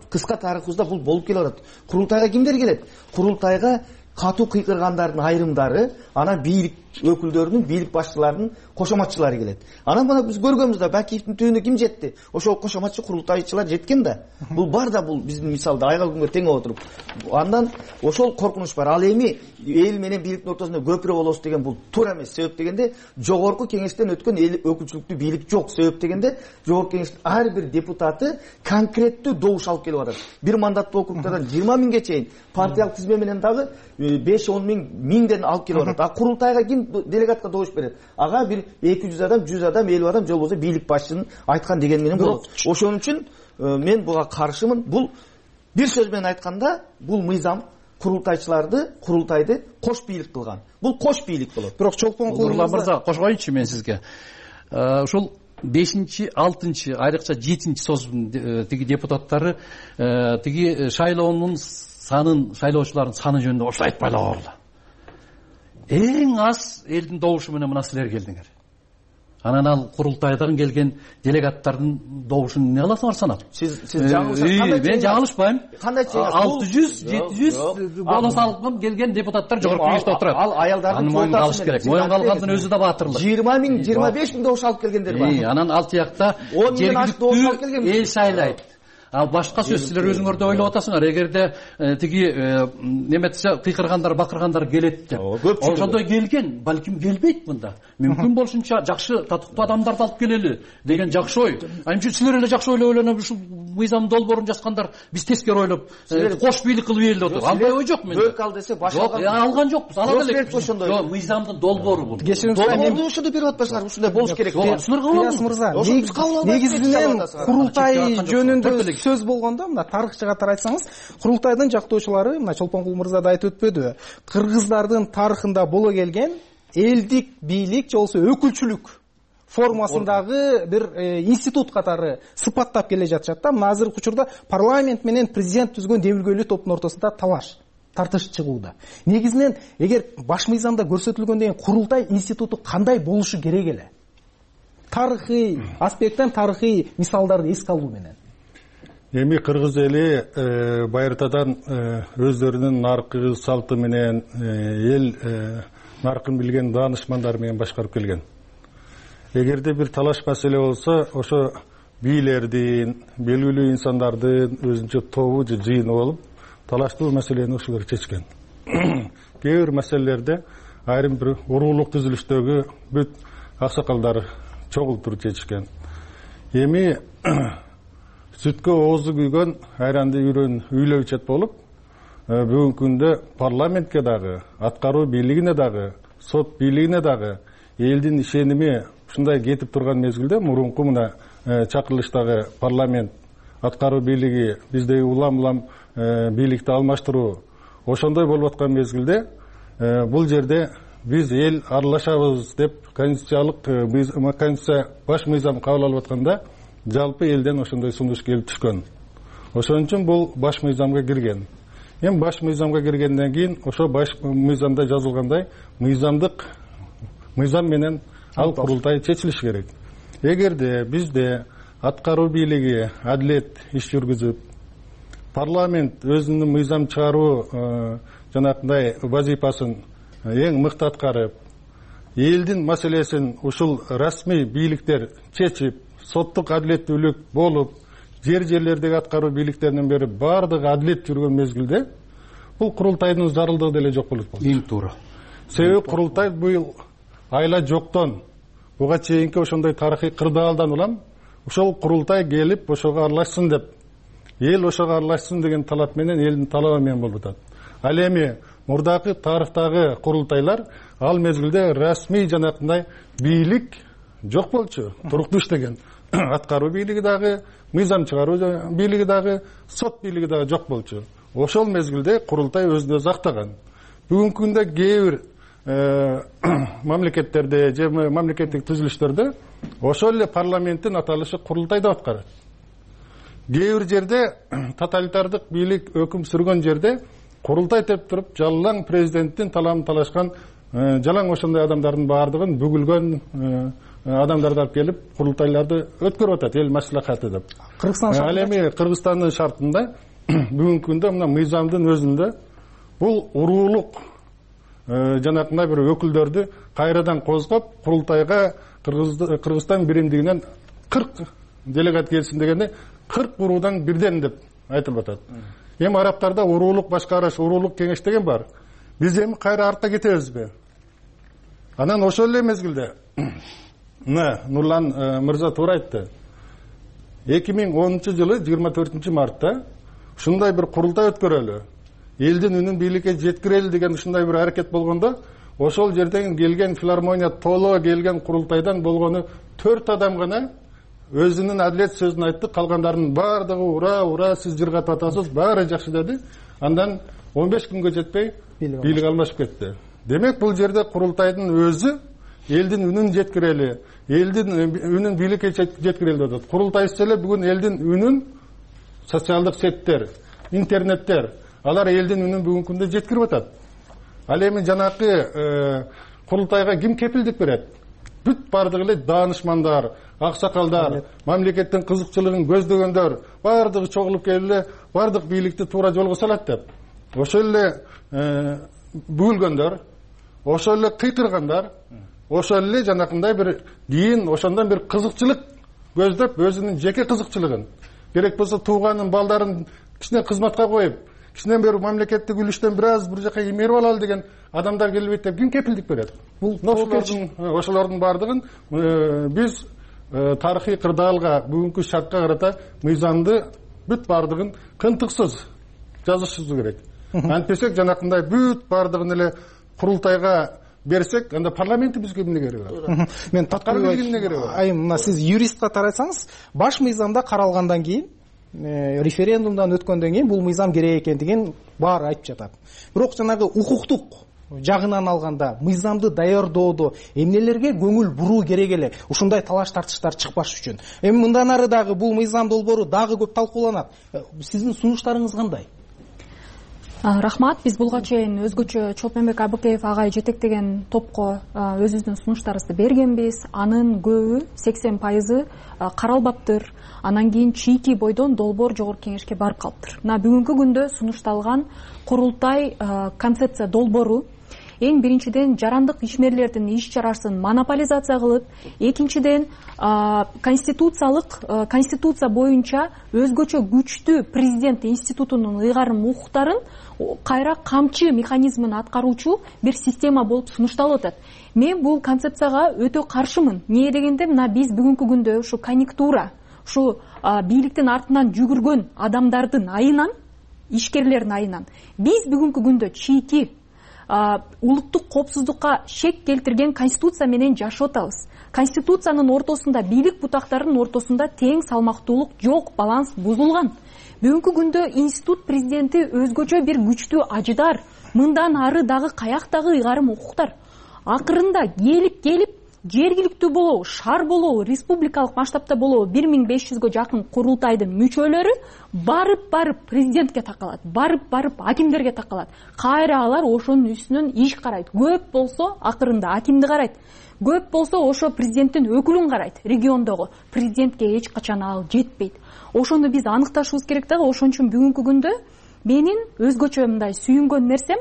кыска тарыхыбызда бул болуп келип атат. Курултайга кимдер келет? Курултайга катуу кыйкыргандардын айрымдары, анан бийлик өкүлдөрүнүн, бийлик башчыларынын кошоматчылары келет. Анан мына биз көргөнбүз да, Бакиевдин түбүнө ким жетти? Ошол кошоматчы курултайчылар жеткен да. Бул бар да, бул биздин мисалда айгал күнгө тең отуруп. Андан ошол коркунуч бар. Ал эми эл менен бийликтин ортосунда көпүрө болобуз деген бул туура эмес. Себеп дегенде жогорку кеңештен өткөн эл өкүлчүлүктүү бийлик жок. Себеп дегенде жогорку кеңештин ар бир добутаты конкреттүү добуш алып келип атат. Бир мандаттуу округдардан жыйырма миңге чейин партиялык тизме менен дагы беш он миң миңден алып келип атат. А курултайга ким делегатка добуш берет? Ага бир эки жүз адам, жүз адам, элүү адам же болбосо бийлик башчынын айткан дегени менен болот. Ошон үчүн мен буга каршымын. Бул бир сөз менен айтканда, бул мыйзам курултайчыларды, курултайды кош бийлик кылган. Бул кош бийлик болот. Бирок чолпон кулурлар мырза, кошкоюнчу мен сизге. Ушул бешинчи, алтынчы, айрыкча жетинчи создун тиги депутаттары тиги шайлоонун санын, шайлоочулардын саны жөнүндө ошо айтпайлап алгыла. Эң аз элдин добушу менен мына силер келдиңер. Анан ал курултайдан келген делегаттардын добушун эмне кыласыңар санап? Сиз сиз жаңылышасыз. Кандай мен жаңылышпайм. Кандай чейин алты жүз, жети жүз голос алып келген депутаттар жогорку кеңеште отурат. Ал аялдардын моюнга алыш керек. Моюнга алгандын өзү да баатырлык. жыйырма миң, жыйырма беш миң добуш алып келгендер бар. Анан ал тиякта жергиликтүү эл шайлайт. Ал башка сөз, силер өзүңөрдө ойлоп атасыңар, эгерде тиги неметсе кыйкыргандар, бакыргандар келет деп. Ошондой келген, балким келбейт мында. Мүмкүн болушунча жакшы, татыктуу адамдарды алып келели деген жакшы ой. Анча силер эле жакшы ойлоп ойлонуп ушул мыйзам долбоорун жазгандар, биз тескери ойлоп, кош бийлик кылып эле отуруп. Андай ой жок менде. Бөлк ал десе баш алган. Жок, алган жокпуз, ала белек. Жок, мыйзамдын долбоору бул. Долбоорду ошондо берип атпайсыңар, ушундай болуш керек. Силер кабыл алыңыз мырза. Негизинен курултай жөнүндө сөз болгондо, мына тарыхчыга катары айтсаңыз, курултайдын жактоочулары, мына Чолпонкул мырза да айтып өтпөдү, кыргыздардын тарыхында боло келген элдик бийлик же болбосо өкүлчүлүк формасындагы бир институт катары сыпаттап келе жатышат да. Мына азыркы учурда парламент менен президент түзгөн дебилгөөлүү топтун ортосунда талаш, тартыш чыгууда. Негизинен эгер баш мыйзамда көрсөтүлгөндөн курултай институту кандай болушу керек эле? Тарыхый аспекттен тарыхый мисалдарды эске алуу менен. Эми кыргыз эли байыртадан өздөрүнүн наркы салты менен эл наркын билген даанышмандар менен башкарып келген. Эгерде бир талаш маселе болсо, ошо бийлердин, белгилүү инсандардын өзүнчө тобу же жыйыны болуп, талаштуу маселени ошолор чечкен. Кээ бир маселелерде айрым бир уруулук түзүлүштөгү бүт аксакалдар чогултуруп чечишкен. Эми сүткө оозу күйгөн айранды үйрөн үйлөп ичет болуп, бүгүнкү күндө парламентке дагы, аткаруу бийлигине дагы, сот бийлигине дагы элдин ишеними ушундай кетип турган мезгилде, мурунку мына чакырылыштагы парламент, аткаруу бийлиги, биздеги улам-улам бийликти алмаштыруу ошондой болуп аткан мезгилде, бул жерде биз эл аралашабыз деп конституциялык конституция баш мыйзам кабыл алып атканда, жалпы элден ошондой сунуш келип түшкөн. Ошон үчүн бул баш мыйзамга кирген. Эми баш мыйзамга киргенден кийин ошо баш мыйзамда жазылгандай мыйзамдык мыйзам менен ал курултай чечилиш керек. Эгерде бизде аткаруу бийлиги адилет иш жүргүзүп, парламент өзүнүн мыйзам чыгаруу жанагындай вазифасын эң мыкты аткарып, элдин маселесин ушул расмий бийликтер чечип, соттук адилеттүүлүк болуп, жер жерлердеги аткаруу бийликтеринен бери баардыгы адилет жүргөн мезгилде, бул курултайдын зарылдыгы деле жок болот. Эң туура. Себеби курултай быйыл айла жоктон буга чейинки ошондой тарыхый кырдаалдан улам ошол курултай келип ошого аралашсын деп, эл ошого аралашсын деген талап менен, элдин талабы менен болуп атат. Ал эми мурдакы тарыхтагы курултайлар ал мезгилде расмий жанакындай бийлик жок болчу, туруктуу иштеген. Аткаруу бийлиги дагы, мыйзам чыгаруу бийлиги дагы, сот бийлиги дагы жок болчу. Ошол мезгилде курултай өзүн өзү актаган. Бүгүнкү күндө кээ бир мамлекеттерде же мамлекеттик түзүлүштөрдө ошол эле парламенттин аталышы курултай деп аткарат. Кээ бир жерде тоталитардык бийлик өкүм сүргөн жерде курултай деп туруп жалаң президенттин таламын талашкан жалаң ошондой адамдардын баардыгын бүгүлгөн адамдарды алып келип курултайларды өткөрүп атат, эл маслихаты деп. Кыргызстан ал эми Кыргызстандын шартында бүгүнкү күндө мына мыйзамдын өзүндө бул уруулук жанакындай бир өкүлдөрдү кайрадан козгоп курултайга Кыргызстан биримдигинен кырк делегат келсин дегенде кырк уруудан бирден деп айтылып атат. Эми арабтарда уруулук башкарыш, уруулук кеңеш деген бар. Биз эми кайра артта кетебизби? Анан ошол эле мезгилде мына Нурлан мырза туура айтты. эки миң онунчу жылы жыйырма төртүнчү мартта ушундай бир курултай өткөрөлү, элдин үнүн бийликке жеткирели деген ушундай бир аракет болгондо, ошол жерден келген филармония толо келген курултайдан болгону төрт адам гана өзүнүн адилет сөзүн айтты, калгандардын баардыгы ура ура сиз жыргатып атасыз, баары жакшы деди. Андан он беш күнгө жетпей бийлик алмашып кетти. Демек бул жерде курултайдын өзү элдин үнүн жеткирели, элдин үнүн бийликке жеткирели деп атат. Курултайсыз эле бүгүн элдин үнүн социалдык сеттер, интернеттер, алар элдин үнүн бүгүнкү күндө жеткирип атат. Ал эми жанакы курултайга ким кепилдик берет? Бүт бардыгы эле даанышмандар, аксакалдар, мамлекеттин кызыкчылыгын көздөгөндөр бардыгы чогулуп келип эле бардык бийликти туура жолго салат деп. Ошол эле бүгүлгөндөр, ошол эле кыйкыргандар, ошол эле жанакындай бир кийин ошондон бир кызыкчылык көздөп, өзүнүн жеке кызыкчылыгын, керек болсо тууганын балдарын кичине кызматка коюп, кичине бир мамлекеттик үлүштөн бир аз бир жака эмерип алалы деген адамдар келбейт деп ким кепилдик берет? Бул ошолордун ошолордун баардыгын биз тарыхый кырдаалга, бүгүнкү шартка карата мыйзамды бүт баардыгын кынтыксыз жазышыбыз керек. Антпесек жанакындай бүт баардыгын эле курултайга берсек, анда парламентти бизге эмне кереги бар? Мен таткарып эмне кереги бар? Айым, мына сиз юристка тарайсаңыз, баш мыйзамда каралгандан кийин, референдумдан өткөндөн кийин бул мыйзам керек экендигин баары айтып жатат. Бирок жанагы укуктук жагынан алганда мыйзамды даярдоодо эмнелерге көңүл буруу керек эле, ушундай талаш тартыштар чыкпаш үчүн. Эми мындан ары дагы бул мыйзам долбоору дагы көп талкууланат. Сиздин сунуштарыңыз кандай? Рахмат. Биз булга чейин өзгөчө Чолпонбек Абыкеев агай жетектеген топко өзүбүздүн сунуштарыбызды бергенбиз. Анын көбү сексен пайызы каралбаптыр. Анан кийин чийки бойдон долбоор жогорку кеңешке барып калыптыр. Мына бүгүнкү күндө сунушталган курултай концепция долбоору эң биринчиден жарандык ишмерлердин иш чарасын монополизация кылып, экинчиден конституциялык конституция боюнча өзгөчө күчтүү президент институтунун ыйгарым укуктарын кайра камчы механизмин аткаруучу бир система болуп сунушталып атат. Мен бул концепцияга өтө каршымын. Эмне дегенде, мына биз бүгүнкү күндө ушу конъюнктура, ушу бийликтин артынан жүгүргөн адамдардын айынан, ишкерлердин айынан биз бүгүнкү күндө чийки улуттук коопсуздукка шек келтирген конституция менен жашап атабыз. Конституциянын ортосунда, бийлик бутактарынын ортосунда тең салмактуулук жок, баланс бузулган. Бүгүнкү күндө институт президенти өзгөчө бир күчтүү ажыдар, мындан ары дагы каяктагы ыйгарым укуктар. Акырында келип келип жергиликтүү болобу, шаар болобу, республикалык масштабта болобу бир миң беш жүзгө жакын курултайдын мүчөлөрү барып-барып президентке такалат, барып-барып акимдерге такалат. Кайра алар ошонун үстүнөн иш карайт. Көп болсо акырында акимди карайт. Көп болсо ошо президенттин өкүлүн карайт. Региондогу президентке эч качан ал жетпейт. Ошону биз аныкташыбыз керек дагы. Ошон үчүн бүгүнкү күндө менин өзгөчө мындай сүйүнгөн нерсем,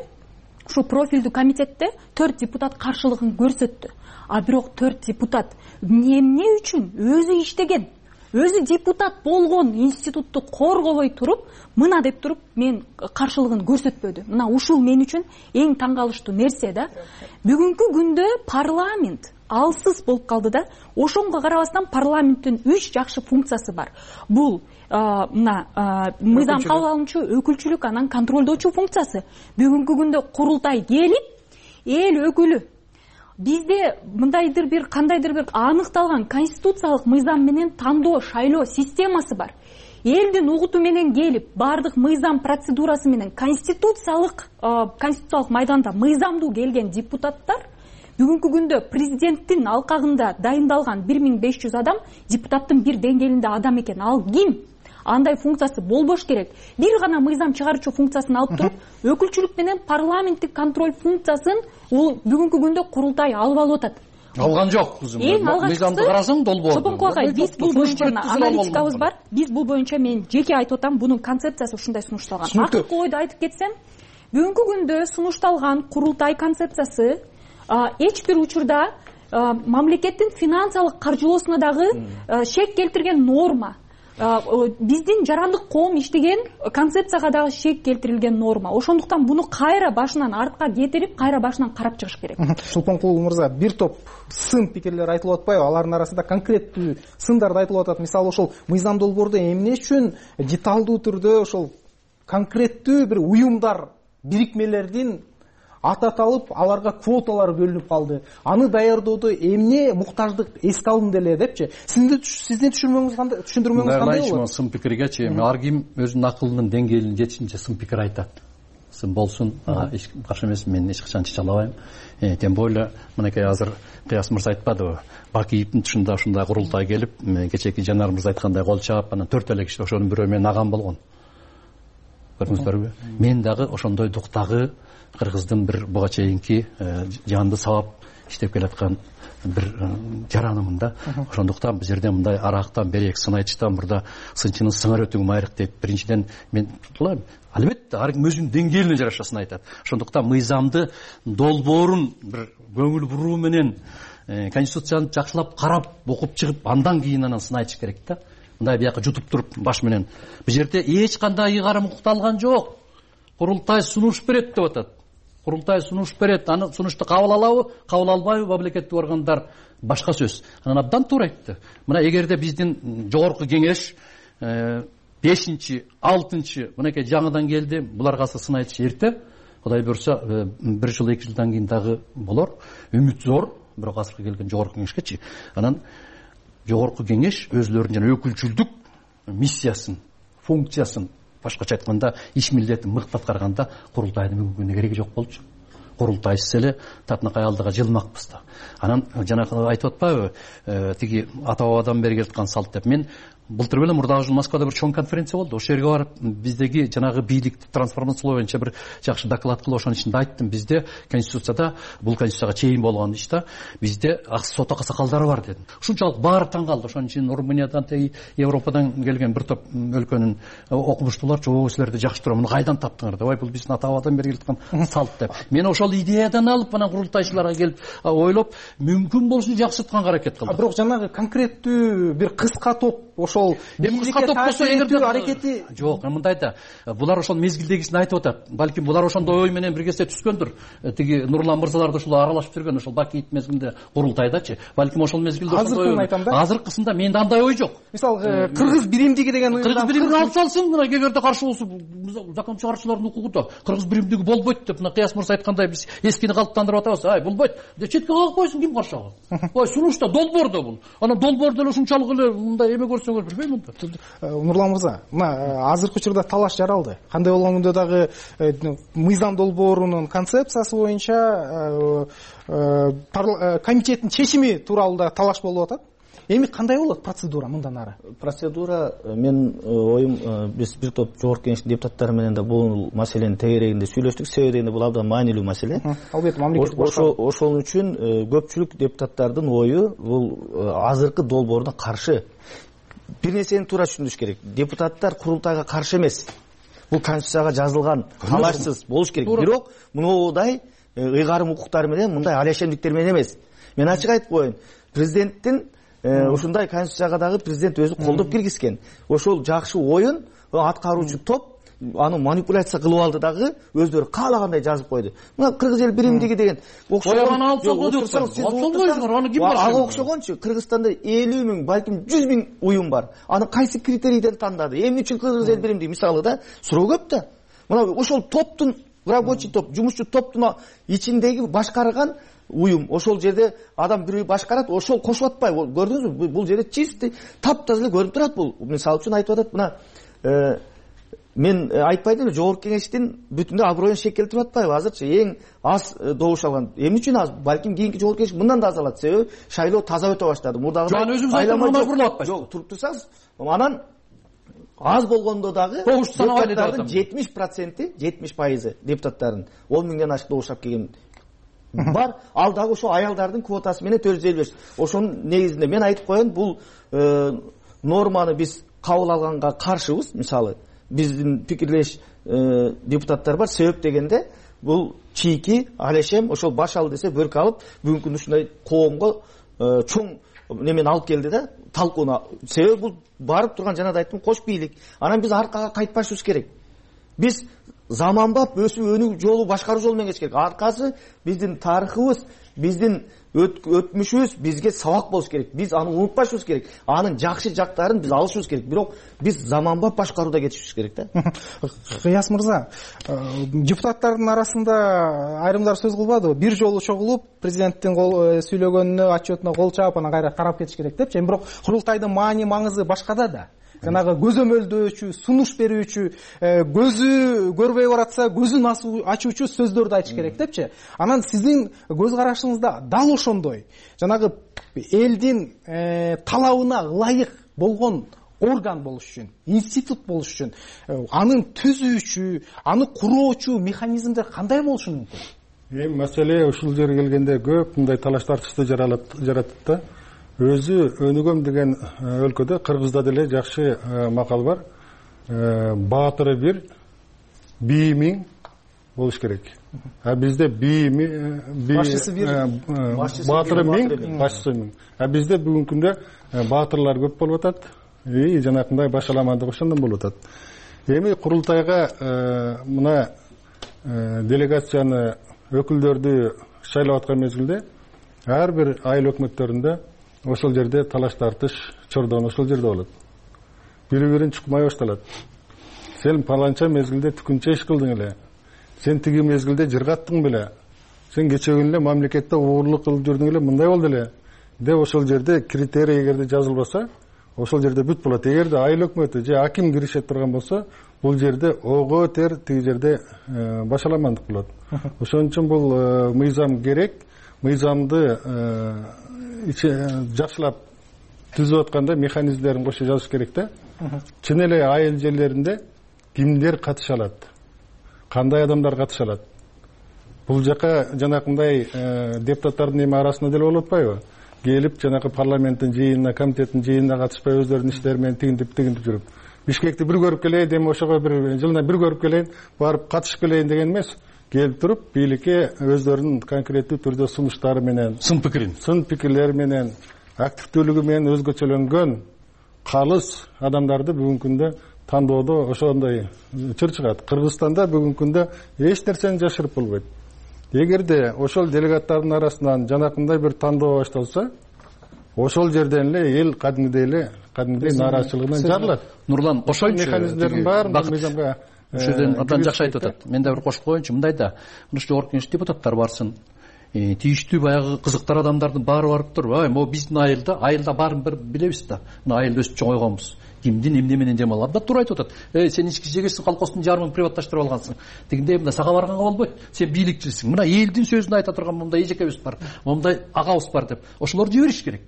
ушу профилдүү комитетте төрт депутат каршылыгын көрсөттү. А бирок төрт депутат эмне үчүн өзү иштеген, өзү депутат болгон институтту коргобой туруп, мына деп туруп мен каршылыгын көрсөтпөдү. Мына ушул мен үчүн эң таң калыштуу нерсе да. Бүгүнкү күндө парламент алсыз болуп калды да. Ошонго карабастан парламенттин үч жакшы функциясы бар. Бул мына мыйзам кабыл алуучу, өкүлчүлүк, анан контролдоочу функциясы. Бүгүнкү күндө курултай келип, эл өкүлү бизде мындайдыр бир кандайдыр бир аныкталган конституциялык мыйзам менен тандоо, шайлоо системасы бар. Элдин угуту менен келип, бардык мыйзам процедурасы менен конституциялык конституциялык майданда мыйзамдуу келген депутаттар бүгүнкү күндө президенттин алкагында дайындалган бир миң беш жүз адам депутаттын бир деңгээлинде адам экен. Ал ким? Андай функциясы болбош керек. Бир гана мыйзам чыгаруучу функциясын алып туруп, өкүлчүлүк менен парламенттик контроль функциясын ул бүгүнкү күндө курултай алып алып атат. Алган жок кызым. Эң алгачкысы карасаң долбоор. Чопонкул агай, биз бул боюнча аналитикабыз бар. Биз бул боюнча мен жеке айтып атам, бунун концепциясы ушундай сунушталган. Акыркы ойду айтып кетсем, бүгүнкү күндө сунушталган курултай концепциясы эч бир учурда мамлекеттин финансылык каржылоосуна дагы шек келтирген норма. Биздин жарандык коом иштеген концепцияга дагы шек келтирилген норма. Ошондуктан буну кайра башынан артка кетирип, кайра башынан карап чыгыш керек. Чолпонкул мырза, бир топ сын пикирлер айтылып атпайбы? Алардын арасында конкреттүү сындарды айтылып атат. Мисалы, ошол мыйзам долбоордо эмне үчүн деталдуу түрдө ошол конкреттүү бир уюмдар, бирикмелердин аты аталып, аларга квоталар бөлүнүп калды. Аны даярдоодо эмне муктаждык эске алынды эле депчи. Сиздин түшүндүрмөңүз кандай? Түшүндүрмөңүз кандай болот? Сын пикиргечи ар ким өзүнүн акылынын деңгээлин жетишинче сын пикир айтат. Сын болсун, эч каршы эмес, мен эч качан чече албайм. Тем более, мынакей азыр Кыяс мырза айтпадыбы? Бакиевдин тушунда ушундай курултай келип, кечеки Жанар мырза айткандай кол чаап, анан төрт эле киши, ошонун бирөө менин агам болгон. Көрдүңүздөрбү? Мен дагы ошондой дуктагы кыргыздын бир буга чейинки жанды сабап иштеп келаткан бир жаранымын да. Ошондуктан бул жерде мындай арактан берек сын айтыштан мурда сынчынын сыңар өтүң майрык деп биринчиден мен кулайм. Албетте ар ким өзүнүн деңгээлине жараша сын айтат. Ошондуктан мыйзамды долбоорун бир көңүл буруу менен конституцияны жакшылап карап окуп чыгып, андан кийин анан сын айтыш керек да. Мындай бияка жутуп туруп баш менен бул жерде эч кандай ыйгарым укталган жок. Курултай сунуш берет деп атат. Курултай сунуш берет. Аны сунушту кабыл алабы, кабыл албайбы мамлекеттик органдар башка сөз. Анан абдан туура айтты. Мына эгерде биздин жогорку кеңеш бешинчи, алтынчы мынакей жаңыдан келди, буларга сын айтыш эрте. Кудай буйрса бир жыл, эки жылдан кийин дагы болор. Үмүт зор, бирок азыркы келген жогорку кеңешкечи. Анан жогорку кеңеш өзлөрүнүн жана өкүлчүлдүк миссиясын, функциясын, башкача айтканда иш милдетин мыкты аткарганда курултайдын бүгүнкү күнү кереги жок болчу. Курултайсыз эле татынакай алдыга жылмакпыз да. Анан жанагы айтып атпайбы, тиги ата бабадан бери келаткан салт деп. Мен былтыр эле мурдагы жыл Москвада бир чоң конференция болду. Ошол жерге барып, биздеги жанагы бийликти трансформациялоо боюнча бир жакшы доклад кылып, ошонун ичинде айттым. Бизде конституцияда, бул конституцияга чейин болгон иште, бизде сот аксакалдары бар дедим. Ушунчалык баары таң калды. Ошонун үчүн Румыниядан, Европадан келген бир топ өлкөнүн окумуштуулар жоо силерди жакшы турат. Муну кайдан таптыңар деп. Ой, бул биздин ата бабадан бери келаткан салт деп. Мен ошол идеядан алып, анан курултайчыларга келип ойлоп, мүмкүн болушун жакшыртканга аракет кылдым. Бирок жанагы конкреттүү бир кыска топ ошол кыска топ болсо эгерде аракети жок, мындай да. Булар ошол мезгилдегисин айтып атат. Балким булар ошондой ой менен бир кезде түскөндүр. Тиги Нурлан мырзалар да ушул аралашып жүргөн, ошол Бакиев мезгилинде курултайдачы. Балким ошол мезгилде ошондой ой. Азыркысында менде андай ой жок. Мисалы, кыргыз биримдиги деген ой. Кыргыз биримдиги алып салсын, мына эгерде каршы болсо, закон чыгаруучулардын укугуда кыргыз биримдиги болбойт деп, мына Кыяс мырза айткандай биз эскини калыптандырып атабыз. Ай, болбойт. Четке калып койсун, ким каршы алат? Ой, сунушта долбоор да бул. Анан долбоор деле ушунчалык эле мындай эме көрсөңөр билбейм да. Нурлан мырза, мына азыркы учурда талаш жаралды. Кандай болгондо дагы мыйзам долбоорунун концепциясы боюнча комитеттин чечими тууралуу да талаш болуп атат. Эми кандай болот процедура мындан ары? Процедура, мен оюм, биз бир топ жогорку кеңештин депутаттары менен да бул маселени тегерегинде сүйлөштүк. Себеби дегенде бул абдан маанилүү маселе. Албетте, мамлекеттик ошол үчүн көпчүлүк депутаттардын ою бул азыркы долбоордун каршы. Бир нерсени туура түшүнүш керек. Депутаттар курултайга каршы эмес. Бул конституцияга жазылган, талашсыз болуш керек. Бирок мындай ыйгарым укуктар менен, мындай алешемдиктер менен эмес. Мен ачык айтып коеюн. Президенттин ушундай конституцияга дагы президент өзү колдоп киргизген. Ошол жакшы оюн аткаруучу топ аны манипуляция кылып алды дагы өздөрү каалагандай жазып койду. Мына кыргыз эл биримдиги деген окшогон алып салгы деп салгыйсыңар, аны ким башкарат? Ага окшогончу Кыргызстанда элүү миң, балким жүз миң уюм бар. Аны кайсы критерийден тандады? Эмне үчүн кыргыз эл биримдиги? Мисалы да, суроо көп да. Мына ошол топтун, рабочий топ, жумушчу топтун ичиндеги башкарган уюм, ошол жерде адам бирөө башкарат, ошол кошуп атпайбы? Көрдүңүзбү? Бул жерде чисти таптаза эле көрүнүп турат бул. Мисалы үчүн айтып атат, мына мен айтпайдым эле, жогорку кеңештин бүтүндөй аброюн шек келтирип атпайбы азырчы? Эң аз добуш алган. Эмне үчүн аз? Балким кийинки жогорку кеңеш мындан да аз алат. Себеби шайлоо таза өтө баштады. Мурдагыдай өзүңүз айткан мажбурлап атпайсыз. Жок, туруп турсаңыз, анан аз болгондо дагы депутаттардын жетимиш проценти, жетимиш пайызы депутаттардын он миңден ашык добуш алып келген бар. Ал дагы ошо аялдардын квотасы менен төрт жүз элүү беш. Ошонун негизинде мен айтып коеюн, бул норманы биз кабыл алганга каршыбыз. Мисалы, биздин пикирлеш депутаттар бар. Себеп дегенде бул чийки алешем ошол баш ал десе бөркө алып бүгүнкү күндө ушундай коомго чоң немени алып келди да, талкууна. Себеби бул барып турган, жана да айттым, кош бийлик. Анан биз аркага кайтпашыбыз керек. Биз заманбап өсүп өнүгүү жолу, башкаруу жолу менен кетиш керек. Аркасы биздин тарыхыбыз, биздин өтмүшүбүз бизге сабак болуш керек. Биз аны унутпашыбыз керек. Анын жакшы жактарын биз алышыбыз керек. Бирок биз заманбап башкарууда кетишибиз керек да. Кыяс мырза, депутаттардын арасында айрымдар сөз кылбадыбы? Бир жолу чогулуп, президенттин сүйлөгөнүнө, отчетуна кол чаап, анан кайра карап кетиш керек депчи. Бирок курултайдын маани маңызы башкада да. Жанагы көзөмөлдөөчү, сунуш берүүчү, көзү көрбөй баратса көзүн ачуучу сөздөрдү айтыш керек депчи. Анан сиздин көз карашыңызда дал ошондой жанагы элдин талабына ылайык болгон орган болуш үчүн, институт болуш үчүн анын түзүүчү, аны куроочу механизмдер кандай болушу мүмкүн? Эми маселе ушул жерге келгенде көп мындай талаш тартышты жаратат да. Өзү өнүгөм деген өлкөдө, Кыргызда деле жакшы макал бар. Баатыры бир, бии миң болуш керек. А бизде бии башчысы бир, баатыры миң, башчысы миң. А бизде бүгүнкү күндө баатырлар көп болуп атат. И жанакындай башаламандык ошондон болуп атат. Эми курултайга мына делегацияны, өкүлдөрдү шайлап аткан мезгилде ар бир айыл өкмөттөрүндө ошол жерде талаш тартыш, чордон ошол жерде болот. Бири-бирин чукмай башталат. Сен паланча мезгилде түкүнчө иш кылдың эле. Сен тиги мезгилде жыргаттың беле. Сен кечөгүн эле мамлекетте уурлук кылып жүрдүң эле, мындай болду эле. Деп ошол жерде критерий эгерде жазылбаса, ошол жерде бүт болот. Эгерде айыл өкмөтү же аким киришет турган болсо, бул жерде ого тер, тиги жерде башаламандык болот. Ошон үчүн бул мыйзам керек. Мыйзамды жакшылап түзүп атканда механизмдерин кошо жазыш керек да. Чын эле айыл жерлеринде кимдер катыша алат, кандай адамдар катыша алат. Бул жака жанакындай депутаттардын эми арасында деле болуп атпайбы? Келип жанакы парламенттин жыйынына, комитеттин жыйынына катышпай өздөрүнүн иштери менен тигинтип тигинтип жүрүп, Бишкекти бир көрүп келейин, эми ошого бир жылына бир көрүп келейин, барып катышып келейин деген эмес. Келип туруп, бийликке өздөрүнүн конкреттүү түрдө сунуштары менен, сын пикирин, сын пикирлери менен, активдүүлүгү менен өзгөчөлөнгөн калыс адамдарды бүгүнкү күндө тандоодо ошондой чыр чыгат. Кыргызстанда бүгүнкү күндө эч нерсени жашырып болбойт. Эгерде ошол делегаттардын арасынан жанакындай бир тандоо башталса, ошол жерден эле эл кадимгидей эле, кадимгидей нааразычылыгынан жарылат. Нурлан, кошоюнчу, механизмдердин баарын мыйзамга ушул жерден абдан жакшы айтып атат. Мен да бир кошуп коеюнчу, мындай да, мына жогорку кеңеш депутаттар барсын, тийиштүү баягы кызыктар адамдардын баары барып туруп, ай, могу биздин айылда, айылда баарын бир билебиз да. Мына айылда өсүп чоңойгонбуз. Кимдин эмне менен жемал? Абдан туура айтып атат. Эй, сен ички жегесиң, колхоздун жарымын приватташтырып алгансың. Тигиндей мында сага барганга болбойт. Сен бийликчисиң. Мына элдин сөзүн айта турган мындай эжекебиз бар, мындай агабыз бар деп. Ошолорду жибериш керек.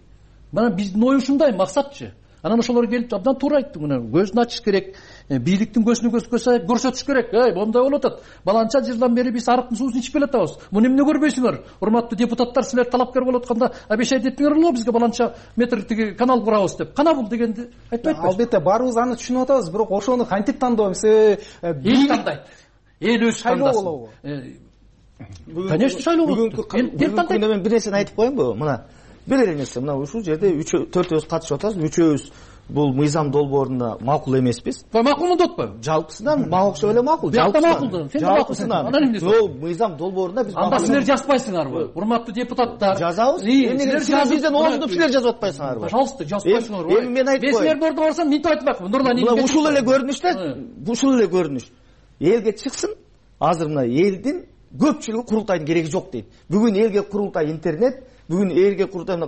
Мына биздин ой ушундай, максатчы. Анан ошолор келип абдан туура айтты. Мына көзүн ачыш керек. Бийликтин көзүнө көз көрсөтүш керек. Эй, мондай болуп атат. Баланча жылдан бери биз арыктын суусун ичип келатабыз. Муну эмне көрбөйсүңөр? Урматтуу депутаттар, силер талапкер болуп атканда обещать эттиңер эле бизге баланча метр тиги канал курабыз деп. Кана бул дегенди айтпайт. Албетте, баарыбыз аны түшүнүп атабыз, бирок ошону кантип тандообуз? Эл тандайт. Эл өзү тандасын. Конечно, шайлоо болот. Бүгүнкү күндө мен бир нерсени айтып коеюнбу? Мына бир эле нерсе, мына ушул жерде төртөөбүз катышып атабыз, үчөөбүз бул мыйзам долбоорунда макул эмеспиз. Макулмун деп атпайбы? Жалпысынан мага окшоп эле макул. Биякта макул. Сен да макулсуң. Анан эмне? Жок, мыйзам долбоорунда биз анда силер жазбайсыңарбы? Урматтуу депутаттар. Жазабыз. Эмне силер бизден ооздуп силер жазып атпайсыңарбы? Пожалуйста, жазбайсыңарбы? Эми мен айтып коеюн. Мен силерди ордуна барсам мынтип айтып атпаймынбы? Нурлан мына ушул эле көрүнүш да, ушул эле көрүнүш. Элге чыксын. Азыр мына элдин көпчүлүгү курултайдын кереги жок дейт. Бүгүн элге курултай интернет, бүгүн элге курултай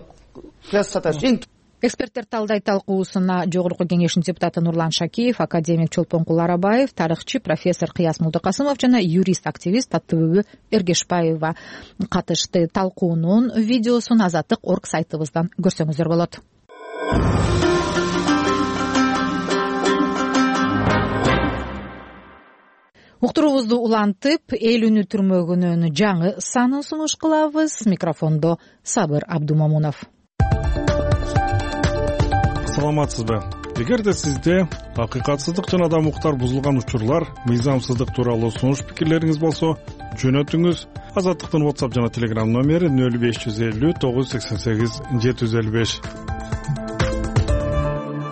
классаташ эң. Эксперттер талдай талкуусуна жогорку кеңештин депутаты Нурлан Шакиев, академик Чолпонкул Арабаев, тарыхчы профессор Кыяс Мулдыкасымов жана юрист-активист Таттыбүбү Эргешбаева катышты. Талкуунун видеосун Азаттык точка орг сайтыбыздан көрсөңүздөр болот. Уктуруубузду улантып, эл үнү түрмөгүнүн жаңы санын сунуш кылабыз. Микрофондо Сабыр Абдумамунов. Саламатсызбы? Эгерде сизде акыйкатсыздык жана адам укуктар бузулган учурлар, мыйзамсыздык тууралуу сунуш пикирлериңиз болсо, жөнөтүңүз. Азаттыктын WhatsApp жана Telegram номери нөл беш жүз элүү тогуз жүз сексен сегиз жети жүз элүү беш.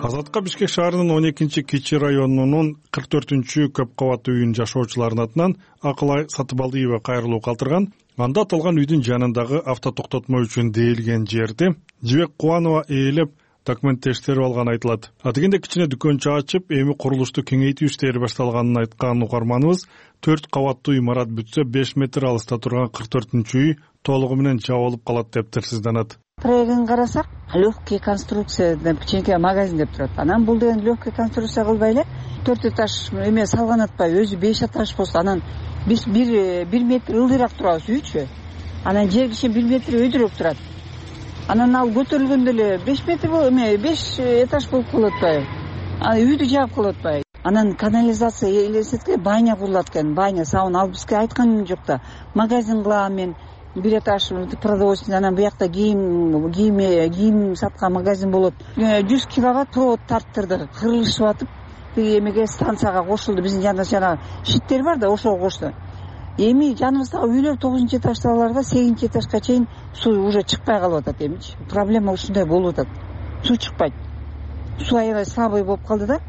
Азатка Бишкек шаарынын он экинчи Кичи районунун кырк төртүнчү көп кабаттуу үйүнүн жашоочуларынын атынан Акылай Сатыбалдиева кайрылуу калтырган. Анда аталган үйдүн жанындагы автотоктотмо үчүн дээлген жерди Жибек Кубанова ээлеп документтештирип алганы айтылат. Атегенде кичине дүкөнчө ачып, эми курулушту кеңейтүү иштери башталганын айткан угарманыбыз төрт кабаттуу имарат бүтсө беш метр алыста турган кырк төртүнчү үй толугу менен жабылып калат деп тирсизданат. Проектин карасак, легкий конструкция деп кичинекей магазин деп турат. Анан бул деген легкий конструкция кылбай эле төрт этаж эме салган атпайбы, өзү беш этаж болсо, анан биз бир метр ылдыйраак турабыз үйчү. Анан жер киши бир метр өйдүрөөк турат. Анан ал көтөрүлгөндө эле беш метр эме беш этаж болуп калып атпайбы? Анан үйдү жаап калып атпайбы? Анан канализация элестетке баня курулат экен. Баня сабын алып бизге айтканым жок да. Магазин кылам мен. Бир этаж продовольствие, анан буякта кийим кийим кийим саткан магазин болот. жүз киловатт провод тарттырды, кырылышып атып, эмеге станцияга кошулду. Биздин жаныбызда жана щиттер бар да, ошого кошту. Эми жаныбыздагы үйлөр тогузунчу этаждагыларда сегизинчи этажга чейин суу уже чыкпай калып атат эмичи. Проблема ушундай болуп атат. Суу чыкпайт. Суу аябай слабый болуп калды да.